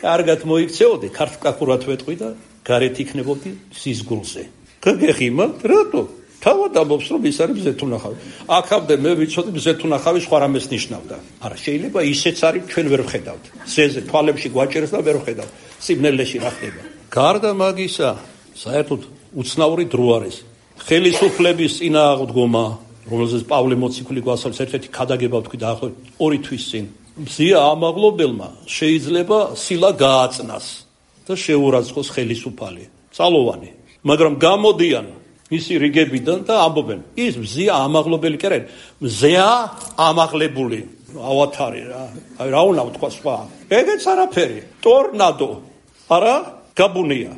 კარგად მოიქცეოდი, ქართკაკურად ვეტყვი და გარეთ იქნებოდი სიზგულზე. გაგეხიმათ? რატო? თავად ამბობს რომ ის არის მზეთუნახავი. აქამდე მე ვიცოდი მზეთუნახავი სხვა რამეს ნიშნავდა. არა, შეიძლება ისეც არის, ჩვენ ვერ ვხედავთ. ზეზე თვალებში გვაჭერს და ვერ ვხედავთ. სიბნელეში რა ხდება? გარდა მაგისა, საერთოდ უცნაური დრო არის. ხელისუფლების წინააღმდგომა, რომელზეც პავლე მოციქული გვასწავლის ერთ-ერთი ქადაგება ვთქვი დაახლოებით ორი თვის წინ. მზია ამაღლობელმა შეიძლება სილა გააწნას. და შეურაცხოს ხელისუფალი, წალოვანი. მაგრამ გამოდიან ისი რიგებიდან და ამბობენ, ის მზეა ამაღლებელი კი არა, მზეა ამაღლებული. ავათარი რა. აი რა უნდა ვთქვა სხვა. ეგეც არაფერი. ტორნადო. არა, გაბუნია.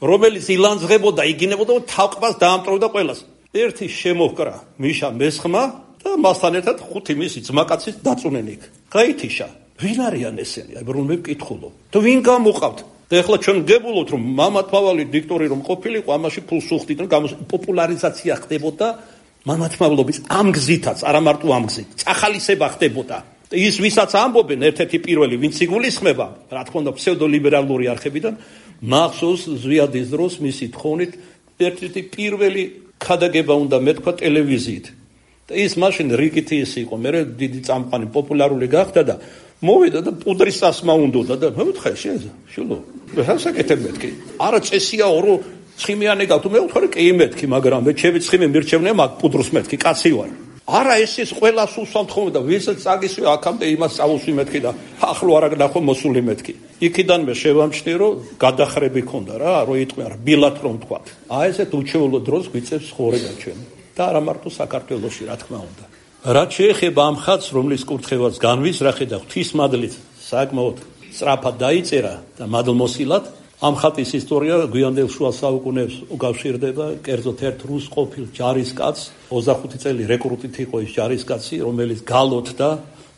რომელიც ილანძღებოდა, იგინებოდა და თავყბას დაამტვრევდა ყველას. ერთი შემოჰკრა მიშა მესხმა და მასთან ერთად ხუთი მისი ძმაკაციც დაწუნენ იქ. გაითიშა. ვინ არიან ესენი? აი რომ მე ვკითხულობ. და ვინ გამოყავთ? და ეხლა ჩვენ გებულობთ რომ მამათმავალი დიქტორი რომ ყოფილიყო, ამაში ფულს უხდით და პოპულარიზაცია ხდებოდა მამათმავლობის ამ გზითაც, არა მარტო ამ გზით. წახალისება ხდებოდა. ის ვისაც ამბობენ ერთ-ერთი პირველი ვინც იგულისხმება, რა თქმა უნდა ფსევდოლიბერალური არხებიდან, მახსოვს ზვიადის დროს მისი თხოვნით ერთ-ერთი პირველი ქადაგება უნდა მეთქვა ტელევიზიით. და ის მაშინ რიგითი ის იყო, მე დიდი წამყვანი პოპულარული გახდა და მოვიდა და პუდრის სასმა უნდოდა და მე ვთხარ შეიძლება შულო. რასაკეთებ მეთქი? არა წესიაო რომ ცხიმიანი გავთუ მე ვთქარი კი მეთქი, მაგრამ მე ჩემი ცხიმე მირჩევნია მაგ პუდრს მეთქი, კაცი ვარ. არა ეს ის ყველას უსვამთ ხოლმე და ვისაც წაგისვი აქამდე იმას წავუსვი მეთქი და ახლო არ აგნახო მოსული მეთქი. იქიდან მე შევამჩნი რომ გადახრები ქონდა რა, რო იტყვი არა ბილად რომ თქვა. აი ესეთ უჩვეულო დროს გვიწევს ხორება ჩვენ. და არა მარტო საქართველოში რა თქმა უნდა. რაც შეეხება ამ ხატს, რომლის კურთხევას განვისრახე და ღვთისმადლით საკმაოდ სწრაფად დაიწერა და მადლმოსილად, ამ ხატის ისტორია გვიანდელ შუა საუკუნეებს უკავშირდება კერძოდ ერთ რუს ყოფილ ჯარისკაცს, ოცდახუთი წელი რეკრუტით იყო ის ჯარისკაცი, რომელიც გალოთდა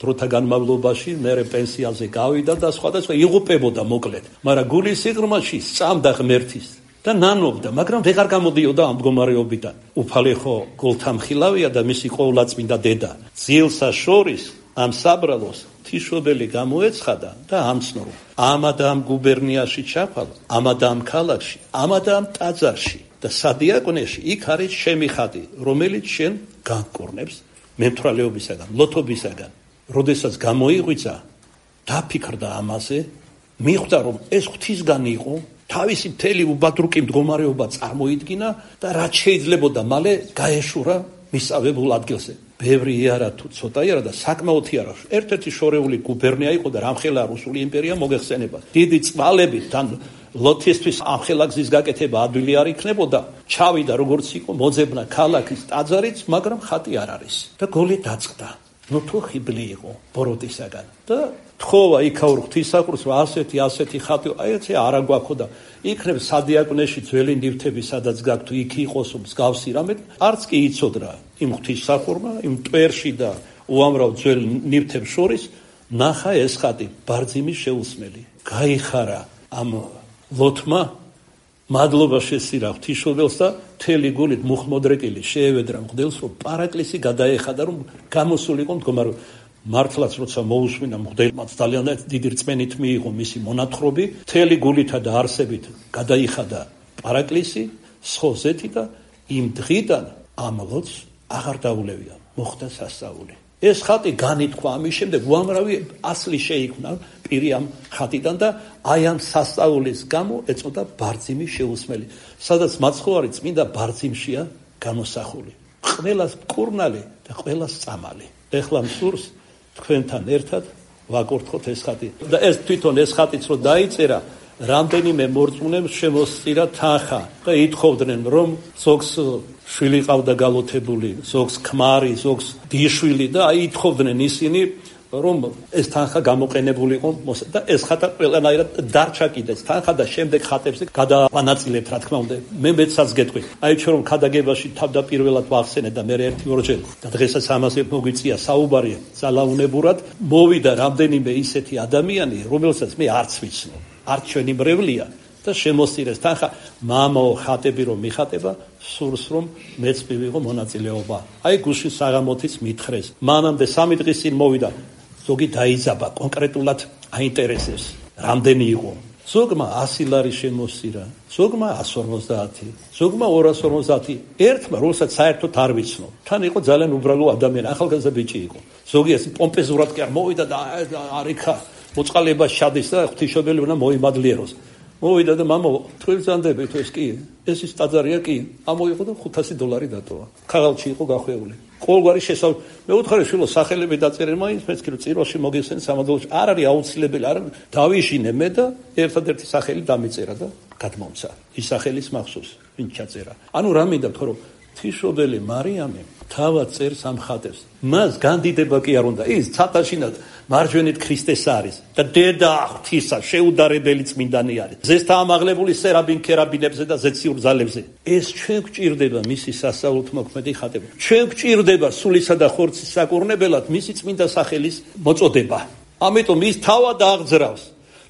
დროთა განმავლობაში, მერე პენსიაზე გავიდა და სხვადასხვა იღუპებოდა მოკლედ, მაგრამ გულის სიღრმეში სწამდა ღმერთის და ნანობდა, მაგრამ ვეღარ გამოდიოდა ამ მდგომარეობიდან. უფალი ხო გულთამხილავია და მისი ყოვლადწმინდა დედა. ძილსა შორის ამ საბრალოს თიშობელი გამოეცხადა და ამცნო, ამა და ამ გუბერნიაში ჩაფალ, ამა და ამ ქალაქში, ამა და ამ ტაძარში და სადიაკვნეში იქ არის შემი ხატი, რომელიც შენ განკურნებს მემთვრალეობისაგან, ლოთობისაგან. როდესაც გამოიღვიძა, დაფიქრდა ამაზე, მიხვდა რომ ეს ღვთისგან იყო, თავისი მთელი უბადრუკი მდგომარეობა წარმოიდგინა და რაც შეიძლებოდა მალე გაეშურა მისწავლებულ ადგილზე. ბევრი იარა თუ ცოტა იარა და საკმაოდ იარა. ერთ-ერთი შორეული გუბერნია იყო და რამხელა რუსული იმპერია მოგეხსენება. დიდი წვალებით თან ლოთისთვის ამხელა გზის გაკეთება ადვილი არ იქნებოდა. ჩავიდა როგორც იყო მოძებნა ქალაქის ტაძარიც, მაგრამ ხატი არ არის. და გოლი დაწყდა. ნუ თუ ხიბლი იყო ბოროტისაგან და თხოვა იქაურ ღვთისმსახურს რომ ასეთი ასეთი ხატი აი ეცე არა გვაქვს და იქნებ სადიაკვნეში ძველი ნივთები სადაც გაქვთ იქ იყოს მსგავსი რამე არც კი იცოდრა იმ ღვთისმსახურმა იმ ტვერში და უამრავ ძველ ნივთებს შორის ნახა ეს ხატი ბარძიმის შეუსმელი გაიხარა ამ ლოთმა მადლობა შესირა ღვთისმშობელს და მთელი გულით მუხმოდრეკილი შეევედრა მღვდელს რომ პარაკლისი გადაეხადა რომ გამოსულიყო მდგომარეობა მართლაც როცა მოусმინა მღვდელმაც ძალიან დიდი რწმენით მიიღო მისი მონათხრობი მთელი გულითა და არსებით გადაიხადა პარაკლისი სხოზეთი და იმ დღიდან ამ ლოთს აღარ დაულევია მოხდა სასწაული ეს ხატი განითქვა ამის შემდეგ უამრავი ასლი შეიქმნა პირი ამ ხატიდან და აი ამ სასწაულის გამო ეწოდა ბარძიმის შეუსმელი სადაც მაცხოვარი წმინდა ბარძიმშია გამოსახული ყველას მკურნალი და ყველას წამალი ეხლა მსურს თქვენთან ერთად ვაკურთხოთ ეს ხატი და ეს თვითონ ეს ხატიც რო დაიწერა რამდენიმე მორწმუნემ შემოსწირა თანხა და ითხოვდნენ რომ ზოგს შვილი ყავდა გალოთებული ზოგს ქმარი ზოგს დიშვილი და აი ითხოვდნენ ისინი რომ ეს თანხა გამოყენებულიყო და ეს ხატა ყველანაირად დარჩა კიდეც თანხა და შემდეგ ხატებზე გადავანაწილებთ რა თქმა უნდა მე მეცაც გეტყვი აი ჩვენ რომ ქადაგებაში თავდაპირველად ვახსენე და მე ერთი ორჯერ და დღესაც ამაზე მოგვიწია საუბარი ძალაუნებურად მოვიდა რამდენიმე ისეთი ადამიანი რომელსაც მე არც ვიცნობ არც ჩვენი მრევლია და შემოსწირეს თანხა მამაო ხატები რომ მიხატება სურს რომ მეც მივიღო მონაწილეობა აი გუშინ საღამოთიც მითხრეს მანამდე სამი დღის წინ მოვიდა ზოგი დაიძაბა კონკრეტულად აინტერესებს რამდენი იყო ზოგმა ასი ლარი შემოსწირა ზოგმა εκατს ორმოცდაათი ზოგმა ორას ორმოცდაათი ერთმა რომელსაც საერთოდ არ ვიცნობ თან იყო ძალიან უბრალო ადამიანი ახალგაზრდა ბიჭი იყო ზოგი ეს პომპეზურად კი არ მოვიდა და არიქა მოწყალება შადის და ღვთისმშობელი უნდა მოიმადლიეროს მოვიდა და მამო თვალზანდებით ეს კი ეს ის ტაძარია კი ამოიღო და ხუთასი დოლარი დატოვა ქაღალდში იყო გახვეული ყოველგვარი შესავ მე უთხარი შვილო სახელები დაწერე მაინც მეც კი რომ წიროში მოგესწენ სამადლოში არ არის აუცილებელი არ დავიშინე მე და ერთადერთი სახელი დამიწერა და გადმომცა ის სახელის მახსოვს ვინ ჩაწერა ანუ რა მინდა თქო რომ ღვთისმშობელი მარიამი თავად წერს ამ ხატებს მას განდიდება კი არ უნდა ის ცატაშინად მარჯვენით ქრისტეს არის და დედა ღვთისა შეუდარებელი წმინდანი არის ზესთა ამაღლებული სერაბინ ქერაბინებზე და ზეციურ ძალებზე ეს ჩვენ გვჭირდება მისი სასწაულთ მოქმედი ხატები ჩვენ გვჭირდება სულისა და ხორცის საკურნებელად მისი წმინდა სახელის მოწოდება ამიტომ ის თავად აღძრავს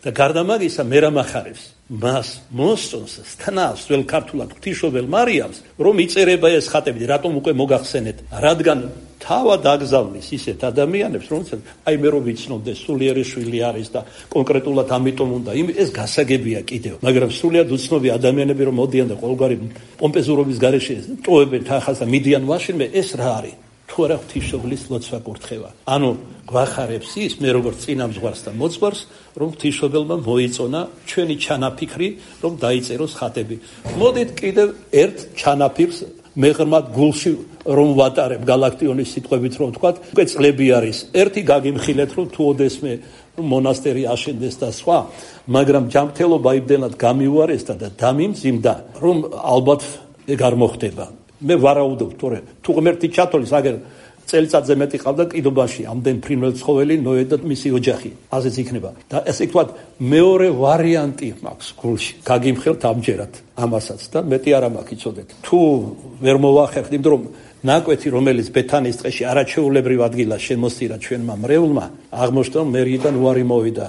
და გარდა მაგისა მერამახარებს მას მოსწონს სტნავს ძველ ქართულად ღვთისმშობელ მარიამს რომ იწერება ეს ხატები რატომ უკვე მოგახსენეთ რადგან თავად აგზავნის ისეთ ადამიანებს რომელსაც აი მე რომ ვიცნობდეს სულიერი შვილი არის და კონკრეტულად ამიტომ უნდა ეს გასაგებია კიდევ მაგრამ სულიად უცნობი ადამიანები რომ მოდიან და ყოველგვარი პომპეზურობის გარეშე ტოვებენ თანხას და მიდიან მაშინმე ეს რა არის თუ არა ღვთისმშობლის ლოცვა კურთხევა ანუ გვახარებს ის მე როგორც წინა მზღვარს და მოძღვარს რომ ღვთისმშობელმა მოიწონა ჩვენი ჩანაფიქრი რომ დაიწეროს ხატები მოდით კიდევ ერთ ჩანაფიქრს მე ღრმად გულში რომ ვატარებ გალაქტიონის სიტყვებით რომ ვთქვათ უკვე წლები არის ერთი გაგიმხილეთ რომ თუ ოდესმე მონასტერი აშენდეს და სხვა მაგრამ ჯანმრთელობა იმდენად გამიუარესდა და დამიმძიმდა რომ ალბათ ეგ არ მოხდება მე ვარაუდობ თორე თუ ღმერთი ჩათოლის აგერ წელიწადზე მეტი ყავდა კიდობაში ამდენ ფრინველ ცხოველი ნოე და მისი ოჯახი ასეც იქნება და ესე ვთქვათ მეორე ვარიანტი მაქვს გულში გაგიმხელთ ამჯერად ამასაც და მეტი არ მაქვს იცოდეთ თუ ვერ მოვახერხთ იმიტომ რომ ნაკვეთი რომელიც ბეთანის ტყეში არაჩვეულებრივ ადგილას შემოსწირა ჩვენმა მრევლმა აღმოჩნდა რომ მერიდან უარი მოვიდა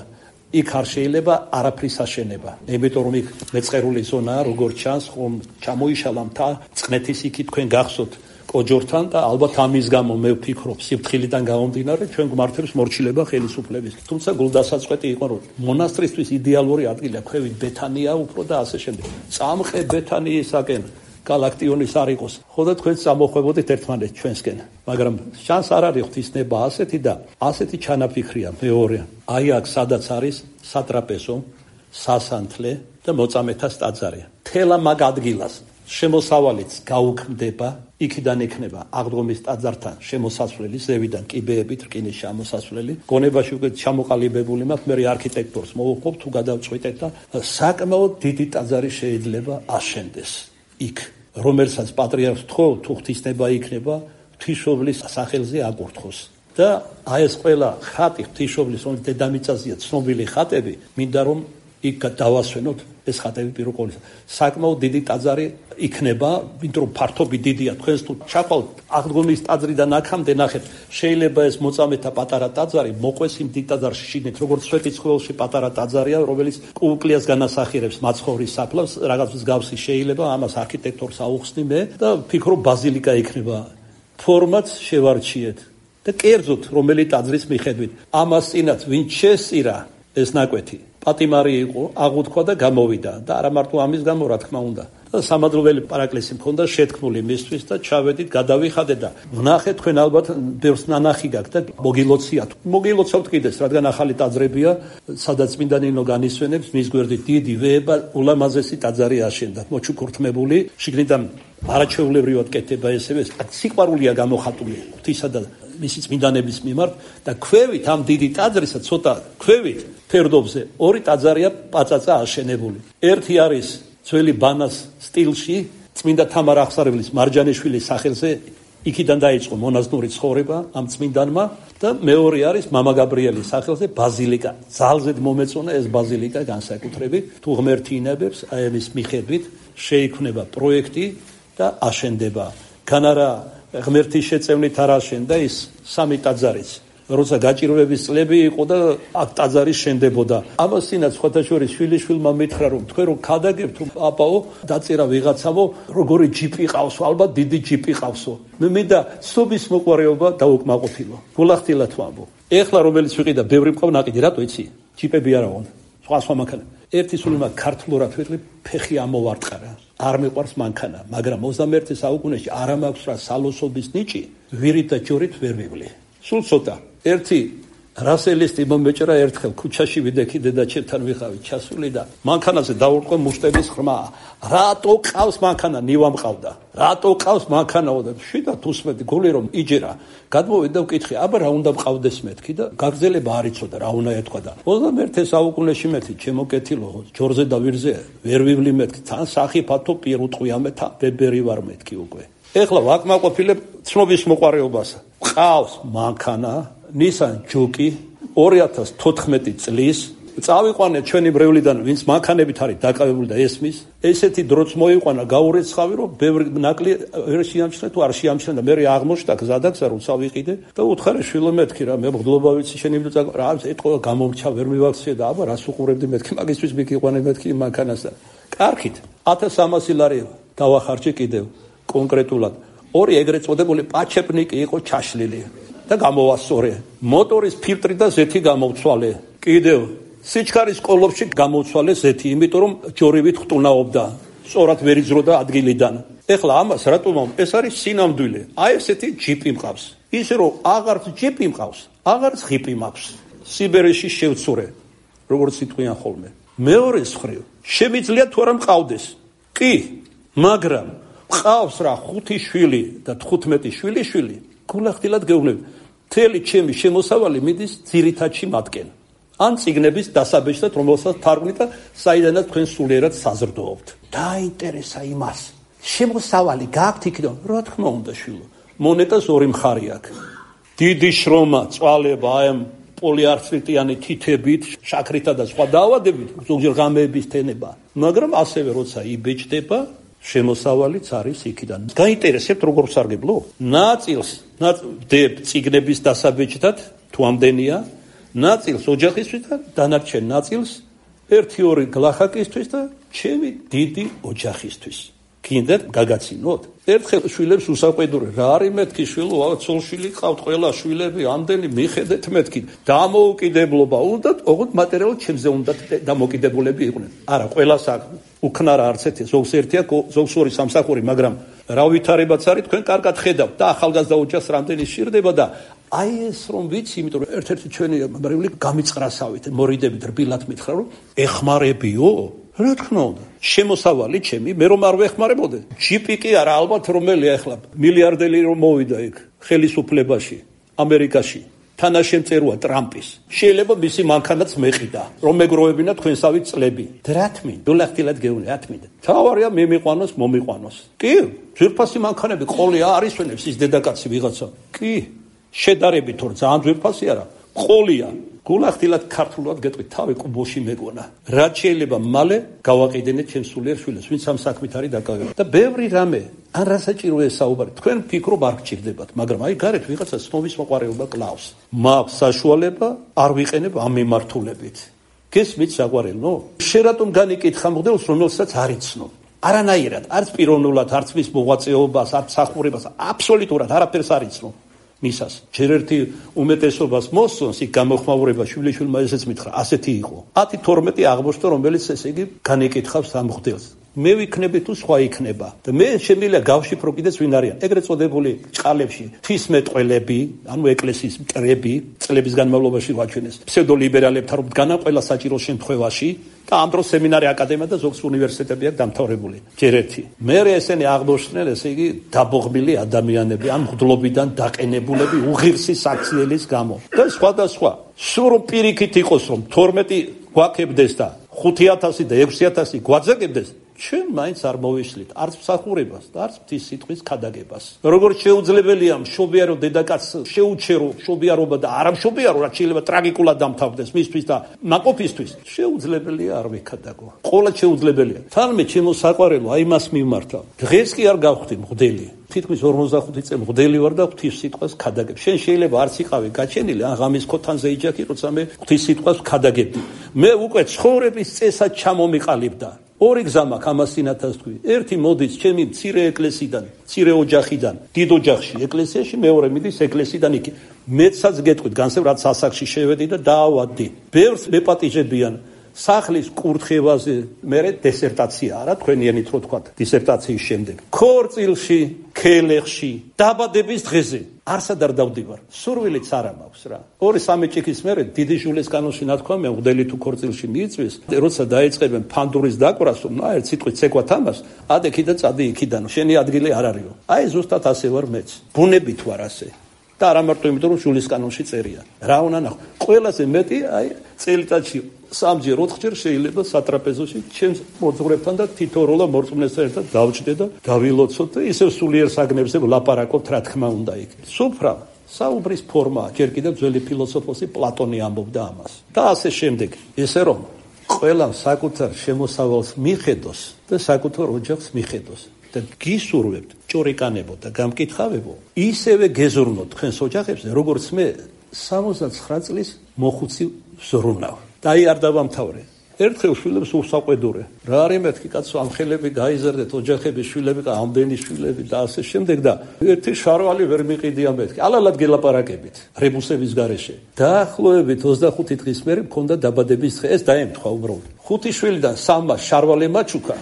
იქ არ შეიძლება არაფრის აშენება იმიტომ რომ იქ მეწყერული ზონაა როგორც ჩანს ხომ ჩამოიშალა მთა წყნეთის იქი თქვენ გახსოვთ ოჯორთან და ალბათ ამის გამო მე ვფიქრობ სიფრთხილიდან გამომდინარე ჩვენ გვმართებს მორჩილება ხელისუფლების თუმცა გულდასაწყვეტი იყო რომ მონასტრისთვის იდეალური ადგილია ქვევით ბეთანია უფრო და ასე შემდეგ წამყე ბეთანიისაკენ გალაქტიონის არ იყოს ხო და თქვენ წამოხვებოდით ერთმანეთს ჩვენსკენ მაგრამ შანს არ არის ღვთისნება ასეთი და ასეთი ჩანაფიქრია მეორე აი აქ სადაც არის სატრაპეზო სასანთლე და მოწამეთას ტაძარი თელა მაგ ადგილას შემოსავალიც გაუქმდება იქიდან იქნება აღდგომის ტაძართან შემოსასვლელი ზევიდან კიბეებით რკინის შემოსასვლელი გონებაში უკვე ჩამოყალიბებული მაქვს მე არქიტექტორს მოვუხმობ თუ გადავწყვიტეთ და საკმაოდ დიდი ტაძარი შეიძლება აშენდეს იქ რომელსაც პატრიარქს თქო თუ ღვთისნება იქნება ღვთისმშობლის სახელზე აკურთხოს და აი ეს ყველა ხატი ღვთისმშობლის რომ დედამიწაზეა ცნობილი ხატები მინდა რომ იქ დავასვენოთ ეს ხატები პირველ ყოვლისა საკმაოდ დიდი ტაძარი იქნება იმიტომ რომ ფართობი დიდია თქვენს თუ ჩახვალთ აღდგომის ტაძრიდან აქამდე ნახეთ შეიძლება ეს მოწამეთა პატარა ტაძარი მოყვეს იმ დიდ ტაძარში შიგნით როგორც სვეტიცხოველში პატარა ტაძარია რომელიც კუკლიას განასახიერებს მაცხოვრის საფლავს რაღაც მსგავსი შეიძლება ამას არქიტექტორს აუხსნი მე და ვფიქრობ ბაზილიკა იქნება ფორმაც შევარჩიეთ და კერძოდ რომელი ტაძრის მიხედვით ამას წინათ ვინ შესწირა ეს ნაკვეთი პატიმარი იყო აღუთქვა და გამოვიდა და არა მარტო ამის გამო რა თქმა უნდა და სამადლოველი პარაკლისი მქონდა შეთქმული მისთვის და ჩავედით გადავიხადეთ და ვნახეთ თქვენ ალბათ ბევრს ნანახი გაქვთ და მოგილოციათ მოგილოცავთ კიდეს რადგან ახალი ტაძრებია სადაც წმინდანინო განისვენებს მის გვერდით დიდი ვეება ულამაზესი ტაძარი აშენდა მოჩუქურთმებული შიგნიდან არაჩვეულებრივად კეთება ესევე სიყვარულია გამოხატული ღვთისა და მისი წმინდანების მიმართ და ქვევით ამ დიდი ტაძრისა ცოტა ქვევით ფერდობზე ორი ტაძარია პაწაწა აშენებული ერთი არის ძველი ბანას სტილში წმინდა თამარ აღსარებლის მარჯანიშვილის სახელზე იქიდან დაიწყო მონაზვნური ცხოვრება ამ წმინდანმა და მეორე არის მამა გაბრიელის სახელზე ბაზილიკა ძალზედ მომეწონა ეს ბაზილიკა განსაკუთრებით თუ ღმერთი ინებებს აი ამის მიხედვით შეიქმნება პროექტი და აშენდება განარა ღმერთის შეწევნით არ აშენდა ის სამი ტაძარიც როცა გაჭირვების წლები იყო და აქ ტაძარი შენდებოდა ამას წინათ სხვათა შორის შვილიშვილმა მითხრა რომ თქვენ რომ ქადაგებთ რომ აპაო დაწერა ვიღაცამო როგორი ჯიპი ყავსო ალბათ დიდი ჯიპი ყავსო მე მინდა სობის მოყვარეობა დაუკმაყოფილო გულახდილად ვამბო ეხლა რომელიც ვიყიდა ბევრი მყავ ნაყიდი რატო იცი ჯიპები არა ვონ სხვა სხვა მანქანა ერთი სული მაგ ქართლურად ვიყრი ფეხი ამოვარტყარა არ მიყვარს მანქანა მაგრამ ოცდამეერთე საუკუნეში არ მაქვს რა სალოსობის ნიჭი ვირით და ჯორით ვერ მივლი სულ ცოტა ერთი რასელისტი მომეჭრა ერთხელ ქუჩაში ვიდექი დედაჩებთან ვიყავით ჩასული და მანქანაზე დაურყო მუშტების ხმა. რატო ყავს მანქანა? ნივა მყავდა. რატო ყავს მანქანაო და შიდა თუსმეტი გული რომ იჯერა. გადმოვიდა ვკითხე, აბა რა უნდა მყავდეს მეთქი და გაგზელება არ იცოდა რა უნდა ეთქვა და ოცდამეერთე საუკუნეში მეთქი ჩემო კეთილო ჯორზე და ვირზე ვერ ვივლი მეთქი თან სახიფათო პირ უტყვია მე თა ბებერი ვარ მეთქი უკვე. ეხლა ვაკმაყოფილებ ცნობის მოყარეობას. ყავს მანქანა Nissan Juke ორი ათას თოთხმეტი წლის წავიყვანე ჩვენი ბრევლიდან ვინც მანქანებით არის დაკავებული და ესმის ესეთი დროც მოიყვანა გაურეცხავი რომ ბევრი ნაკლი ვერ შეამჩნია თუ არ შეამჩნია და მე აღმოჩნდა გზადაგზა რომ წავიყიდე და უთხარი შვილო მეთქი რა მე მგდლობა ვიცი შენი ვიდო რა ეთყობა გამომრჩა ვერ მივაქციე და აბა რას უყურებდი მეთქი მაგისთვის მიგიყვანე მეთქი მანქანას და კარგით ათას სამასი ლარი დავახარჯე კიდევ კონკრეტულად ორი ეგრეთ წოდებული პაჩეპნიკი იყო ჩაშლილი და გამოვასწორე მოტორის ფილტრი და ზეთი გამოვცვალე კიდევ სიჩქარის კოლოფში გამოვცვალე ზეთი იმიტომ რომ ჯორივით ხტუნაობდა სწორად ვერ იძროდა ადგილიდან ეხლა ამას რატომ ეს არის სინამდვილე აი ესეთი ჯიპი მყავს ისე რომ აღარც ჯიპი მყავს აღარც ღიპი მაქვს სიბერეში შევცურე როგორც იტყვიან ხოლმე მეორე მხრივ შემიძლია თუ არა მყავდეს კი მაგრამ მყავს რა ხუთი შვილი და თხუთმეტი შვილი შვილი გულახდილად გეუბნები მთელი ჩემი შემოსავალი მიდის ძირითადში მათკენ ან ციგნების დასაბეჭდად რომელსაც თარგმნით და საიდანაც თქვენ სულიერად საზრდოობთ დაინტერესა იმას შემოსავალი გაქვთ იქიდან რა თქმა უნდა შვილო მონეტას ორი მხარი აქვს დიდი შრომა წვალება აი ამ პოლიარცრიტიანი თითებით შაქრითა და სხვა დაავადებით ზოგჯერ ღამეების თენება მაგრამ ასევე როცა იბეჭდება შემოსავალიც არის იქიდან. გაინტერესებთ როგორ სარგებლო? ნაწილს დებ ციგნების დასაბეჭდად თუ ამდენია, ნაწილს ოჯახისთვის და დანარჩენ ნაწილს ერთი ორი გლახაკისთვის და ჩემი დიდი ოჯახისთვის. გინდათ გაგაცინოთ? ერთხელ შვილებს უსაყვედურე რა არის მეთქი შვილო, ცოლ-შვილი ყავთ ყველა შვილები, ამდენი მიხედეთ მეთქი. დამოუკიდებლობა უნდათ, ოღონდ მატერიალურად ჩემზე უნდათ დამოკიდებულები იყვნენ. არა, ყველას აქვს უქნარა არც ერთი, ზოგს ერთია, ზოგს ორი სამსახური, მაგრამ რა ვითარებაც არის, თქვენ კარგად ხედავთ და ახალგაზრდა ოჯახს რამდენი სჭირდება და აი ეს რომ ვიცი, იმიტომ რომ ერთ-ერთი ჩვენი ბრევლი გამიწყრასავით, მორიდებით რბილად მითხრა რომ ეხმარებიო რა თქმა უნდა შემოსავალი ჩემი მე რომ არ ვეხმარებოდე ჯიპი კი არა ალბათ რომელია ახლა მილიარდელი რომ მოვიდა იქ ხელისუფლებაში ამერიკაში თანაშემწეროა ტრამპის შეიძლება მისი მანქანაც მეყიდა რომ მეგროვებინა თქვენსავი წლები დრათმინ დოლახტილად გეუნე ათმინ თავარია მე მიყვანოს მომიყვანოს კი ძვირფასი მანქანები ყოლია არისვენებს ის დედაკაცი ვიღაცა კი შედარებით თორ ძალიან ძვირფასი არა ყოლია გულახდილად ქართულად გეტყვით თავი კუბოში მეგონა რაც შეიძლება მალე გავაყიდენეთ ჩემს სულიერ შვილებს ვინც ამ საქმით არის დაკავებული და ბევრი რამე ან რასაჭიროა საუბარი თქვენ ფიქრობ არ გჭირდებათ მაგრამ აი გარეთ ვიღაცა ცნობის მოყარეობა კლავს მაქვს საშუალება არ ვიყენებ ამ მიმართულებით გესმით საყვარელო შე რატომ განიკითხა მოდელს რომელსაც არ იცნობ არანაირად არც პიროვნულად არც მის მოღვაწეობას არც სახურებას აბსოლუტურად არაფერს არ იცნობ მისას ჯერ ერთი უმეტესობას მოსწონს იქ გამოხმაურება შვილიშვილმა ესეც მითხრა ასეთი იყო ათი თორმეტი აღმოჩნდა რომელიც ესე იგი განეკითხავს ამ ხდელს მე ვიქნები თუ სხვა იქნება და მე შემიძლია გავშიფრო კიდეც ვინ არიან ეგრეთ წოდებული ჭყალებში ღვთისმეტყველები ანუ ეკლესიის მტრები წლების განმავლობაში ვაჩვენეს ფსევდოლიბერალებთან რომ დგანან ყველა საჭირო შემთხვევაში და ამ დროს სემინარი აკადემია და ზოგს უნივერსიტეტები აქვს დამთავრებული ჯერ ერთი მე ესენი აღმოჩნდნენ ესე იგი დაბოღმილი ადამიანები ამ მღვდლობიდან დაყენებულები უღირსი საქციელის გამო და სხვა და სხვა სულ რომ პირიქით იყოს რომ თორმეტი გვაქებდეს და ხუთი ათასი და ექვსი ათასი გვაძაგებდეს ჩვენ მაინც არ მოვიშლით არც მსახურებას და არც ღვთის სიტყვის ქადაგებას როგორც შეუძლებელია მშობიარო დედაკაცს შეუჩერო მშობიარობა და არა მშობიარო რაც შეიძლება ტრაგიკულად დამთავრდეს მისთვის და ნაკოფისთვის შეუძლებელია არ ვიქადაგო ყოლად შეუძლებელია თალმე ჩემო საყვარელო აი მას მიმართა დღეს კი არ გავხდი მღვდელი თითქმის ორმოცდახუთი წელი მღვდელი ვარ და ღვთის სიტყვას ქადაგებ შენ შეიძლება არც იყავი გაჩენილი ან ღამის ქოთანზე იჯახი როცა მე ღვთის სიტყვას ქადაგებდი მე უკვე ცხოვრების წესად ჩამომიყალიბდა ორი გზა მაქვს ამას წინათას თქვი ერთი მოდის ჩემი მცირე ეკლესიიდან მცირე ოჯახიდან დიდ ოჯახში ეკლესიაში მეორე მიდის ეკლესიიდან იქ მეცაც გეტყვით განსევ რაც ასაკში შევედი და დაავადდი ბევრს მეპატიჟებიან სახლის კურთხევაზე, მერე დისერტაცია არა, თქვენიანით რო თქვა, დისერტაციის შემდეგ. ქორწილში, ქელეხში, დაბადების დღეზე არსად არ დავდივარ. სურვილიც არ მაქვს რა. ორი სამი ჭიქის მერე დიდი ჟულეს კანონში ნათქვამია, მღვდელი თუ ქორწილში მიიწვის, როცა დაიწყებენ ფანდურის დაკვრას, რა ერთ სიტყვით ცეკვათ ამას, ადე კიდე წადი იქიდან, შენი ადგილი არ არისო. აი ზუსტად ასე ვარ მეც. ბუნებით ვარ ასე. და არა მარტო იმიტომ რომ ჟულის კანონში წერია. რა უნდა ნახო. ყველაზე მეტი აი წელიწადში სამჯერ ოთხჯერ შეიძლება სატრაპეზოში ჩემს მოძღვრებთან და თითოეულა მორწმუნესთან ერთად დავჭდე და დავილოცოთ და ისევ სულიერ საგნებზე ვლაპარაკობთ რა თქმა უნდა იქ. სუფრა საუბრის ფორმაა, ჯერ კიდევ ძველი ფილოსოფოსი პლატონი ამბობდა ამას. და ასე შემდეგ. ესე რომ ყველა საკუთარ შემოსავალს მიხედოს და საკუთარ ოჯახს მიხედოს. და გისურვებთ ჭორიკანებო და გამკითხავებო, ისევე გეზრუნოთ თქვენს ოჯახებზე, როგორც მე სამოცდაცხრა წლის მოხუცი ვზრუნავ. და აი არ დავამთავრე. ერთხელ შვილებს უსაყვედურე. რა არის მეთქი კაცო, ამ ხელები გაიზარდეთ, ოჯახები, შვილები, ამდენი შვილები და ასე შემდეგ და ერთი შარვალი ვერ მიყიდია მეთქი. ალალად გელაპარაკებით რებუსების გარეშე. დაახლოებით ოცდახუთი დღის მერე მქონდა დაბადების დღე, ეს დაემთხვა უბრალოდ. ხუთი შვილიდან სამმა შარვალი მაჩუქა.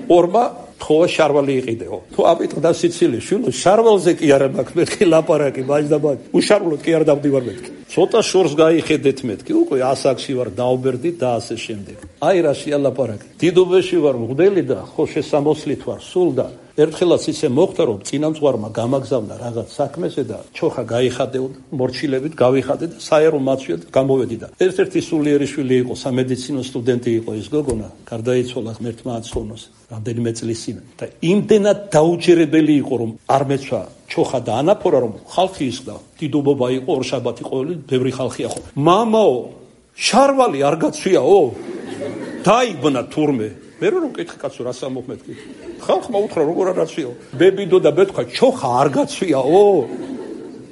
ორმა თხოვა შარვალი იყიდეო. თუ აპიტყდა სიცილი შვილო, შარვალზე კი არა მაქვს მეთქი ლაპარაკი, მაჯდაბად. უშარვლოდ კი არ დავდივარ მეთქი. ცოტა შორს გაიხედეთ მეთქი, უკვე ასაკში ვარ, დაობერდი და ასე შემდეგ. აი რა შეალაპარაკი. დიდუბეში ვარ მღვდელი და ხო შესამოსლით ვარ სულ და ერთხელაც ისე მოხდა რომ წინამძღვარმა გამაგზავნა რაღაც საქმეზე და ჩოხა გაიხადე, მორჩილებით გავიხადე და საერო მაცვია და გამოვედი და ერთ-ერთი სულიერი შვილი იყო, სამედიცინო სტუდენტი იყო ეს გოგონა, გარდაიცვალა ღმერთმა აცხოვნოს რამდენიმე წლის წინ და იმდენად დაუჯერებელი იყო რომ არ მეცვა ჩოხა და ანაფორა რომ ხალხი ისხდა, დიდუბობა იყო, ორშაბათი ყოველი ბევრი ხალხია ხო. მამაო, შარვალი არ გაცვიაო? დაიბნა თურმე. მე რომ მკითხე კაცო რა სამოხმეთქი. ხალხმა უთხრა როგორ არ გაცვიაო? ბებიდო და ბეთქვა ჩოხა არ გაცვიაო?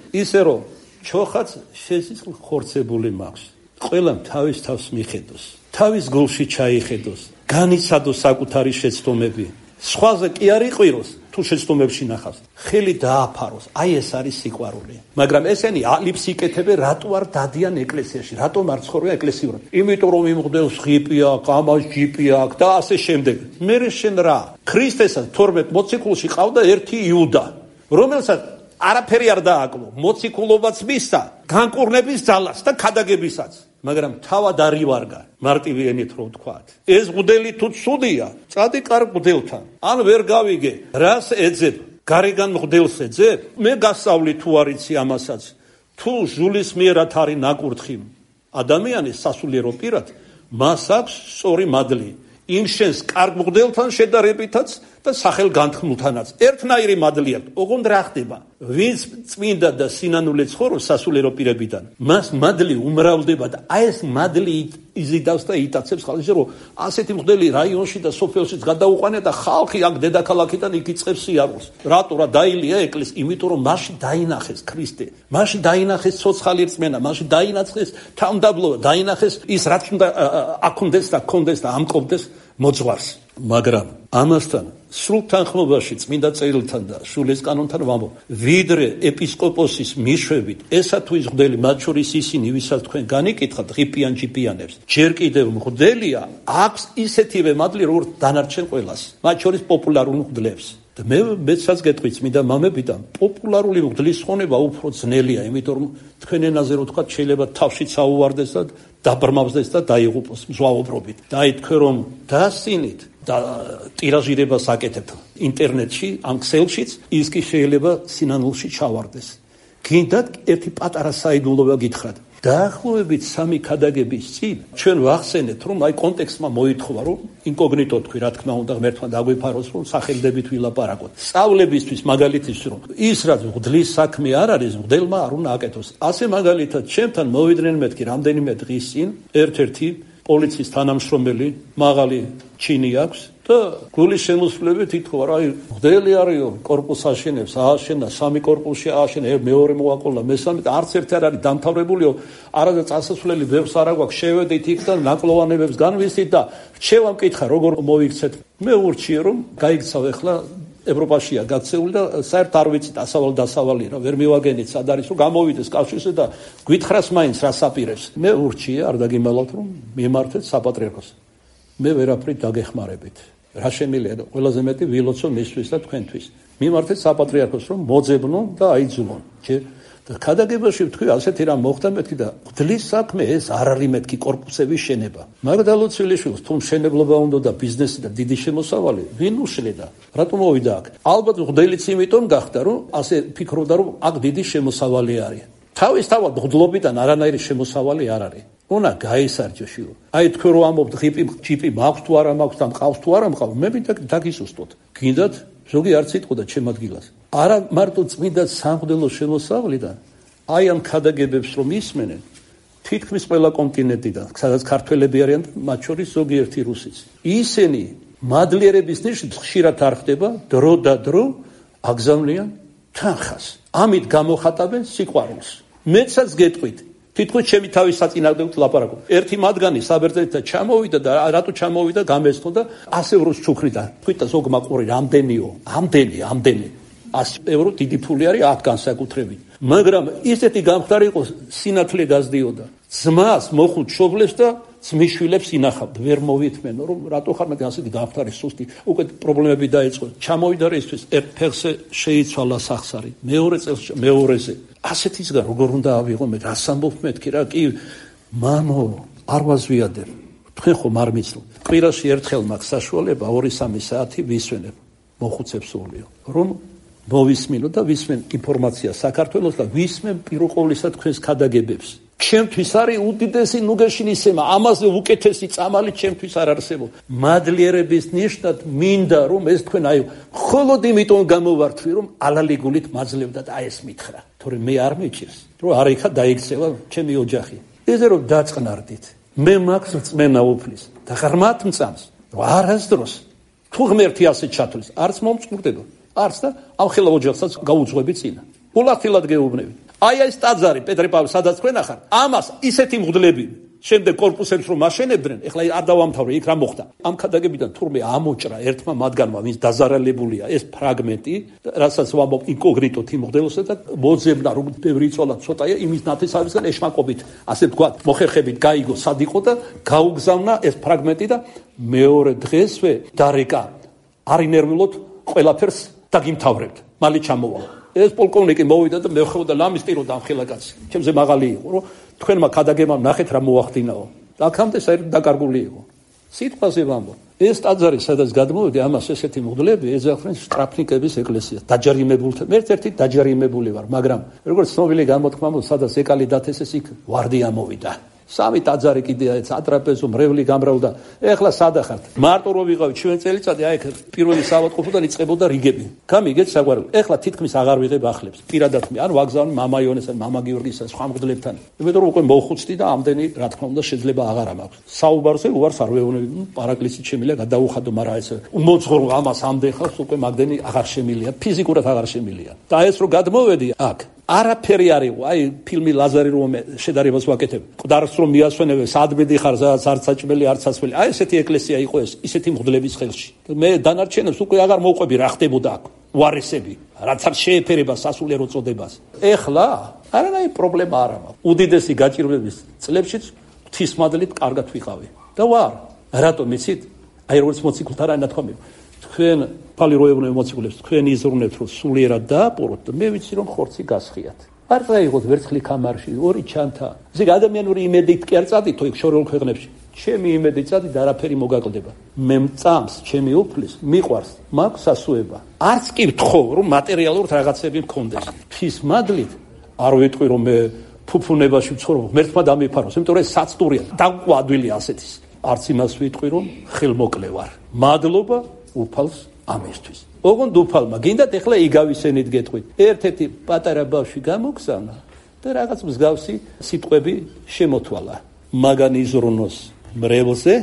ისე რომ ჩოხაც შესიძლ ხორცებული მაქვს. ყველამ თავის თავს მიხედოს. თავის გულში ჩაიხედოს. განიცადოს საკუთარი შეცდომები. სხვაზე კი არ იყვიროს, თუ შეცდომებში ნახავს. ხელი დააფაროს. აი ეს არის სიყვარული. მაგრამ ესენი ალიფს იკეთებენ, რატო არ დადიან ეკლესიაში? რატომ არ ცხოვრობენ ეკლესიურად? იმიტომ რომ იმღდელს ღიპი აქვს, ამას ჯიპი აქვს და ასე შემდეგ. მე შენ რა? ქრისტესაც თორმეტ მოციქულში ყავდა ერთი იუდა, რომელსაც არაფერი არ დააკლო. მოციქულობაც მისცა, განკურნების ძალას და ქადაგებისაც. მაგრამ თავად არ ივარგა, მარტივი ენით რო ვთქვათ. ეს მღვდელი თუ ცუდია, წადი კარგ მღვდელთან. ან ვერ გავიგე, რას ეძებ? გარეგან მღვდელს ეძებ? მე გასავლი თუ არიცი ამასაც. თუ ჟულის მიერად არის ნაკურთხი ადამიანის სასულიერო პირად, მას აქვს სწორი მადლი. იმ შენს კარგ მღვდელთან შედარებითაც და სახელ განთქმულთანაც. ერთნაირი მადლი აქვს. ოღონდ რა ხდება? ვინც წმინდა და სინანულე ცხოვრობს სასულიერო პირებიდან, მას მადლი უმრავლდება და აი ეს მადლი იზიდავს და იტაცებს ხალხს, რომ ასეთი მღვდელი რაიონში და სოფელშიც გადაუყვანია და ხალხი აქ დედაქალაქიდან იქ იწყებს სიარულს. რატო რა დაილია ეკლესია? იმიტომ რომ მასში დაინახეს ქრისტე, მასში დაინახეს ცოცხალი რწმენა, მასში დაინახეს თავმდაბლობა, დაინახეს ის რაც უნდა აქონდეს და ქონდეს და ამკობდეს მოძღვარს. მაგრამ ამასთან სრულ თანხმობაში წმინდა წერილთან და შულის კანონთან ვამბობ, ვიდრე ეპისკოპოსის მიშვებით, ესა თუ ის მღვდელი, მათ შორის ისინი, ვისაც თქვენ განიკითხავთ, ღიპიან ჯიპიანებს, ჯერ კიდევ მღვდელია, აქვს ისეთივე მადლი, როგორც დანარჩენ ყველას, მათ შორის პოპულარულ მღვდლებს. და მე მეცაც გეტყვი წმინდა მამებიდან, პოპულარული მღვდლის ხონება უფრო ძნელია, იმიტომ რომ თქვენ ენაზე რო თქვა, შეიძლება თავშიც აუვარდეს და დაბრმავდეს და დაიღუპოს მზვაუბრობით. და აი თქვენ რომ დასინით და ტირაჟირებას აკეთებთ ინტერნეტში, ამ ქსელშიც, ის კი შეიძლება სინანულში ჩავარდეს. გინდათ ერთი პატარა საიდუმლოება გითხრათ. დაახლოებით სამი ქადაგების წინ ჩვენ ვახსენეთ, რომ აი კონტექსტმა მოითხოვა, რომ ინკოგნიტო თქვი, რა თქმა უნდა, ღმერთმა დაგვიფაროს, რომ სახელდებით ვილაპარაკოთ. სწავლებისთვის, მაგალითისთვის, რომ ის რაც მღვდლის საქმე არ არის, მღვდელმა არ უნდა აკეთოს. ასე მაგალითად, ჩემთან მოვიდნენ მეთქი რამდენიმე დღის წინ ერთ-ერთი პოლიციის თანამშრომელი, მაღალი ჩინი აქვს და გულის შემოსვლებით ითხოვა, რა მღვდელი არისო, კორპუსს აშენებს, ააშენა, სამი კორპუსში ააშენა, მეორე მოაყოლა, მესამე და არც ერთი არ არის დამთავრებულიო, არადა წასასვლელი ბევრს არ აქვს, შევედით იქ და ნაკლოვანებებს განვისით და რჩევა მკითხა, როგორ მოიქცეთ. მე ურჩიე, რომ გაიქცავ ახლა ევროპაშია გაქცეული და საერთოდ არ ვიცით ასავალ დასავალი რა ვერ მივაგენით სად არის რომ გამოვიდეს კავშირზე და გვითხრას მაინც რას აპირებს. მე ურჩია არ დაგიმალავთ რომ მიმართეთ საპატრიარქოს. მე ვერაფრით დაგეხმარებით. რა შემიძლია და ყველაზე მეტი ვილოცო მისთვის და თქვენთვის. მიმართეთ საპატრიარქოს რომ მოძებნონ და აიძულონ. ჯერ და ქადაგებაში ვთქვი ასეთი რამ მოხდა მეთქი და გდლის საქმე ეს არ არის მეთქი კორპუსების შენება. მაგდა ლოცვილიშვილს თუ მშენებლობა უნდა და ბიზნესი და დიდი შემოსავალი ვინ უშლედა? რატომ მოვიდა აქ? ალბათ გდელიც იმიტომ გახდა რომ ასე ფიქრობდა რომ აქ დიდი შემოსავალი არის. თავისთავად გდლობიდან არანაირი შემოსავალი არ არის. უნდა გაისარჯოშიო. აი თქვენ რომ ამობთ ღიპი ჯიპი მაქვს თუ არა მაქვს და მყავს თუ არა მყავს მე მინდა დაგისუსტოთ. გინდათ ზოგი არც იტყოდა ჩემ ადგილას. არა მარტო წმინდა სამღვდელო შემოსავლიდან აი ამ ქადაგებებს რომ ისმენენ თითქმის ყველა კონტინენტიდან სადაც ქართველები არიან მათ შორის ზოგიერთი რუსიც. ისინი მადლიერების ნიშნით ხშირად არ ხდება დრო და დრო აგზავნიან თანხას. ამით გამოხატავენ სიყვარულს. მეცაც გეტყვით თითქოს ჩემი თავის საწინააღმდეგოდ ლაპარაკობ. ერთი მათგანი საბერძნეთთან ჩამოვიდა და რატო ჩამოვიდა გამესწო და ასე ევროს ჩუქრიდა. თქვით და ზოგმა ყური რამდენიო? ამდენი, ამდენი. ასი ევრო დიდი ფული არის აქ განსაკუთრებით. მაგრამ ისეთი გამხდარი იყო სინათლე გაზდიოდა. ძმას მოხუთ შობლებს და ძმისშვილებს ინახავთ. ვერ მოვითმენო რომ რატო ხარ მე ასეთი გამხდარი სუსტი. უკვე პრობლემები დაიწყო. ჩამოვიდა რისთვის ერთ ფეხზე შეიცვალა სახსარი. მეორე წელს მეორეზე ასეთისგან როგორ უნდა ავიღო მე რას ამბობ მეთქი რა კი მამო არ ვაზვიადებ თქვენ ხომ არ მიცნობ კვირაში ერთხელ მაქვს საშუალება ორი სამი საათი ვისვენებ მოხუცებს სულიო რომ მოვისმინო და ვისმენ ინფორმაცია საქართველოს და ვისმენ პირველ ყოვლისა თქვენს ქადაგებებს ჩემთვის არის უდიდესი ნუგეშინისემა ამაზე უკეთესი წამალი ჩემთვის არ არსებობს მადლიერების ნიშნად მინდა რომ ეს თქვენ აი მხოლოდ იმიტომ გამოვართვი რომ ალალიგულით მაძლევდათ აი ეს მითხრა თორე მე არ მეჭირს რომ არ იქა დაიქცევა ჩემი ოჯახი ესე რომ დაწყნარდით მე მაქვს რწმენა უფლის და ღრმად მწამს რომ არასდროს თუ ღმერთი ასე ჩათვლის არც მომწყურდება არც და ამ ხელა ოჯახსაც გაუძღვები წინა ულახილად გეუბნები აი ეს ტაძარი პეტრე პავლე სადაც თქვენ ახარ ამას ისეთი მღვდლები შემდეგ კორპუსებს რომ აშენებდნენ ეხლა არ დავამთავრე იქ რა მოხდა ამ ქადაგებიდან თურმე ამოჭრა ერთმა მათგანმა ვინც დაზარალებულია ეს ფრაგმენტი რასაც ვამბობ ინკოგნიტო თიმღდელოსა და მოძებნა რომ ბევრი იწოლა ცოტაა იმის ნათესავისგან ეშმაკობით ასე თქვა მოხერხებით გაიგო სად იყო და გაუგზავნა ეს ფრაგმენტი და მეორე დღესვე დარეკა არინერვულოთ ყველაფერს დაგიმთავრებთ მალე ჩამოვალ ეს პოლკოვნიკი მოვიდა და მე ხედავდა ლამისტიროდა ამ ხელაკაცს ჩემზე მაღალი იყო რომ თქვენმა ქადაგებამ ნახეთ რა მოახდინაო აქამდე საერთოდ დაკარგული იყო სიტყვაზე ვამბობ ეს ტაძარი სადაც გადმოვედი ამას ესეთი მღვდლები ეძახდნენ შტრაფნიკების ეკლესიას დაჯარიმებულთან მე ერთ-ერთი დაჯარიმებული ვარ მაგრამ როგორც ცნობილი გამოთქმა მოხდა სადაც ეკალი დათესეს იქ ვარდია მოვიდა სამი ტაძარი კიდე სატრაპეზო მრევლი გამრავლდა ეხლა სადახართ მარტო რო ვიყავით ჩვენ წელიწადი აი პირველი საავადმყოფოდან იწყებოდა რიგები გამიგეთ საგვარელი ეხლა თითქმის აღარ ვიღებ ახლებს პირადად მე ან ვაგზავნი მამა იონეს ან მამა გიორგის ან სხვა მღვდლებთან იმიტომ რომ უკვე მოხუცდი და ამდენი რა თქმა უნდა შეიძლება აღარ მაქვს საუბარზე უარს არ ვეუბნები პარაკლისით შემიძლია გადაუხადო მაგრამ ეს მოძღრო ამას ამდენ ხალხს უკვე მაგდენი აღარ შემიძლია ფიზიკურად აღარ შემიძლია და ეს რო გადმოვედი აქ არაფერი არ იყო აი ფილმი ლაზარი რომ შედარებას ვაკეთებ ყდარს რომ მიასვენებენ სადმედი ხარ სადაც არც საჭმელი არც სასველი აი ესეთი ეკლესია იყო ეს ისეთი მღვდლების ხელში მე დანარჩენებს უკვე აღარ მოვყვები რა ხდებოდა აქ უარესები რაც არ შეეფერება სასულიერო წოდებას ეხლა არანაირი პრობლემა არ აქვს უდიდესი გაჭირვების წლებშიც ღვთისმადლით კარგად ვიყავი და ვარ რატომ იცით აი როგორც მოციქულთა რა ნათქვამი თქვენ ფალი როებნე მოციქულებს თქვენ იზრუნებთ რომ სულიერად დააპყროთ და მე ვიცი რომ ხორცი გასხიათ არ დაიღოთ ვერცხლი ქამარში ორი ჩანთა ესე ადამიანური იმედით კი არ წადით იქ შორეულ ქვეყნებში ჩემი იმედი წადით არაფერი მოგაკლდება მე მწამს ჩემი უფლის მიყვარს მაქვს სასუება არც კი ვთხოვ რომ მატერიალურ რაღაცები მქონდეს ფის მადლით არ ვიტყვი რომ მე ფუფუნებაში ვცხოვრობ ღმერთმა დამიფაროს იმიტომ რომ ეს საცდურია დაგვყვა ადვილი ასეთის არც იმას ვიტყვი რომ ხელმოკლე ვარ მადლობა უფალს ამისთვის ოღონდ უფალმა გინდათ ეხლა იგავისენით გეტყვით ერთ-ერთი პატარა ბავშვი გამოგზავნა და რაღაც მსგავსი სიტყვები შემოთვალა მაგან იზრუნოს მრევლზე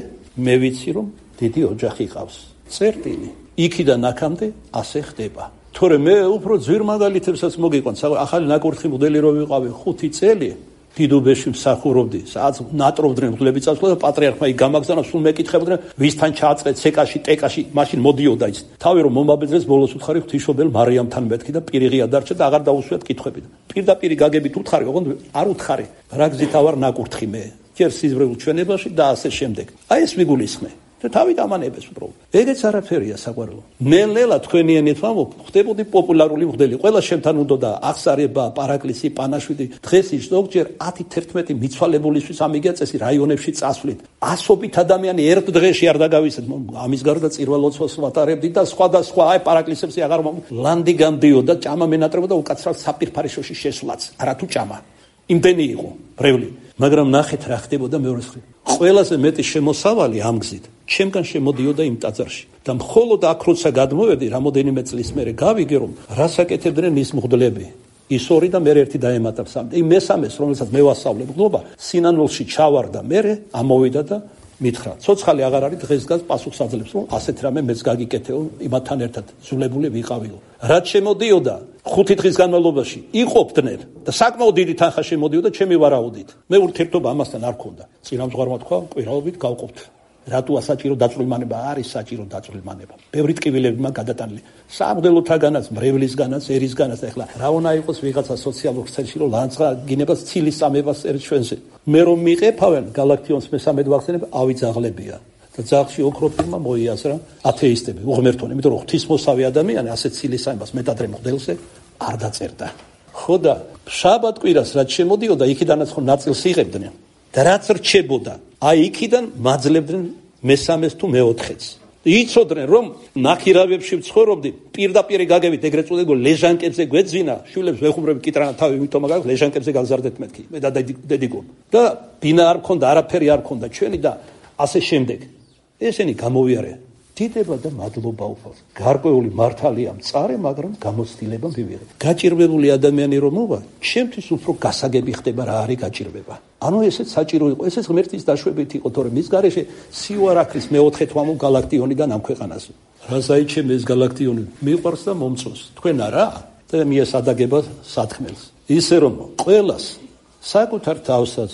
მე ვიცი რომ დიდი ოჯახი ყავს წერტილი იქიდან აქამდე ასე ხდება თორე მე უფრო ძვირ მაგალითებსაც მოგიყვანს ახალი ნაკურთხი მოდელი რო ვიყავი ხუთი წელი დიდუბეში მსახურობდი, სადაც ნატრობდნენ მღვდლები წასვლა და პატრიარქმა იქ გამაგზავნა, სულ მეკითხებდნენ, ვისთან ჩააწყეთ ცეკაში, ტეკაში, მაშინ მოდიოდა ის. თავი რომ მომაბეძრეს, ბოლოს უთხარი ღვთისმშობელ მარიამთან მეთქი და პირიღია დარჩა და აღარ დაუსვიათ კითხვები. პირდაპირ გაგებით უთხარი, ოღონდ არ უთხარი. რა გზით ავარ ნაკურთხი მე. ჯერ სიზმრებულ ჩვენებაში და ასე შემდეგ. აი ეს მიგულისხმე. და თავით ამანებს უბრალოდ. ეგეც არაფერია საყვარელო. ნელ-ნელა თქვენი ენით ვამბობ, ხდებოდი პოპულარული მღვდელი. ყველა შემთან უნდა აღსარება, პარაკლისი, პანაშვიდი. დღეს ის ზოგჯერ ათი თერთმეტი მიცვალებულისთვის ამიგია წესი რაიონებში წასვლით. ასობით ადამიანი ერთ დღეში არ დაგავიწყეთ. ამის გარდა წირვა-ლოცვას ვატარებდი და სხვა და სხვა, აი პარაკლისებში აღარ მომწ. ლანდი გამდიოდა, ჭამა მენატრებოდა უკაცრავ საპირფარეშოში შესვლაც. არათუ ჭამა. იმდენი იყო ბრეული. მაგრამ ნახეთ რა ხდებოდა მეორე მხრივ. ყველაზე მეტი შემოსავალი ამ გზით ჩემგან შემოდიოდა იმ ტაძარში და მხოლოდ აქ როცა გადმოვედი რამოდენიმე წლის მერე გავიგე რომ რასაკეთებდნენ ის მღვდლები ის ორი და მე ერთი დაემატა სამი იმ მესამეს რომელსაც მე ვასწავლებ მღვდლობა სინანულში ჩავარდა მე ამოვიდა და მითხრა ცოცხალი აღარ არის დღეს დგას პასუხს აძლევს რომ ასეთ რამე მეც გაგიკეთეო იმათთან ერთად ზულებული ვიყავიო რაც შემოდიოდა ხუთი დღის განმავლობაში იყოფდნენ და საკმაოდ დიდი თანხა შემოდიოდა ჩემი ვარაუდით მე ურთიერთობა ამასთან არ მქონდა წინამძღვარმა თქვა კვირაობით გავყოფთ რატო ასაჭირო დაწვრილმანება არის საჭირო დაწვრილმანება ბევრი ტკივილებმა გადატანილი სამღვდელოთაგანაც მრევლისგანაც ერისგანაც და ეხლა რა უნდა იყოს ვიღაცა სოციალურ ქსელში რომ ლანძღა გინებას ცილის სამებას წერს ჩვენზე მე რომ მიყეფავენ გალაქტიონს მესამედ ვახსენებ ავიძაღლებია და ძაღლში ოქროფილმა მოიაზრა ათეისტები უღმერთონი იმიტომ რომ ღვთისმოსავი ადამიანი ასეთ ცილის სამებას მეტადრე მღვდელზე არ დაწერდა ხო და შაბათ კვირას რაც შემოდიოდა იქიდანაც ხო ნაწილს იღებდნენ და რაც რჩებოდა აი იქიდან მაძლებდნენ მესამეს თუ მეოთხეც იცოდნენ რომ ნახირავებში ვცხოვრობდი პირდაპირ გაგებით ეგრეთ წოდებულ ლეჟანკებზე გვეძინა შვილებს ვეხუმრები კიტრანა თავი ვითომა გაგ ლეჟანკებზე გაგზარდეთ მეთქი მე და დედიგო და ბინა არ მქონდა არაფერი არ მქონდა ჩვენი და ასე შემდეგ ესენი გამოვიარე დიდება და მადლობა უფალს გარკვეული მართალია მწარე მაგრამ გამოცდილება მივიღე გაჭირვებული ადამიანი რომ მოვა ჩემთვის უფრო გასაგები ხდება რა არის გაჭირვება ანუ ესეც საჭირო იყო ესეც ღმერთის დაშვებით იყო თორემ მის გარეშე სიუარაქლის მეოთხე თვამო გალაქტიონიდან ამ ქვეყანაზე რა საიჩემ ეს გალაქტიონი მიყვარს და მომწონს თქვენ არა და მიესადაგება სათქმელს ისე რომ ყველას საკუთარ თავსაც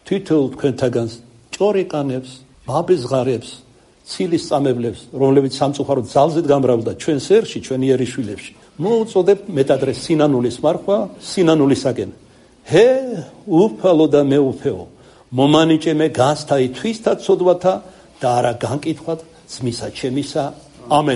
თითოეულ თქვენთაგანს ჭორიყანებს მაბეზღარებს ცილის წამებლებს, რომლებიც სამწუხაროდ ძალზედ გამრავლდა ჩვენ სერში, ჩვენი ერისშვილებში. მოუწოდებთ მეტადრე სინანულის მარხვა, სინანულისაკენ. ჰე, უფალო და მეუფეო, მომანიჭემე განსთაი თვისთა ცოდვათა და არა განკითხვათ ძმისა ჩემისა. ამენ.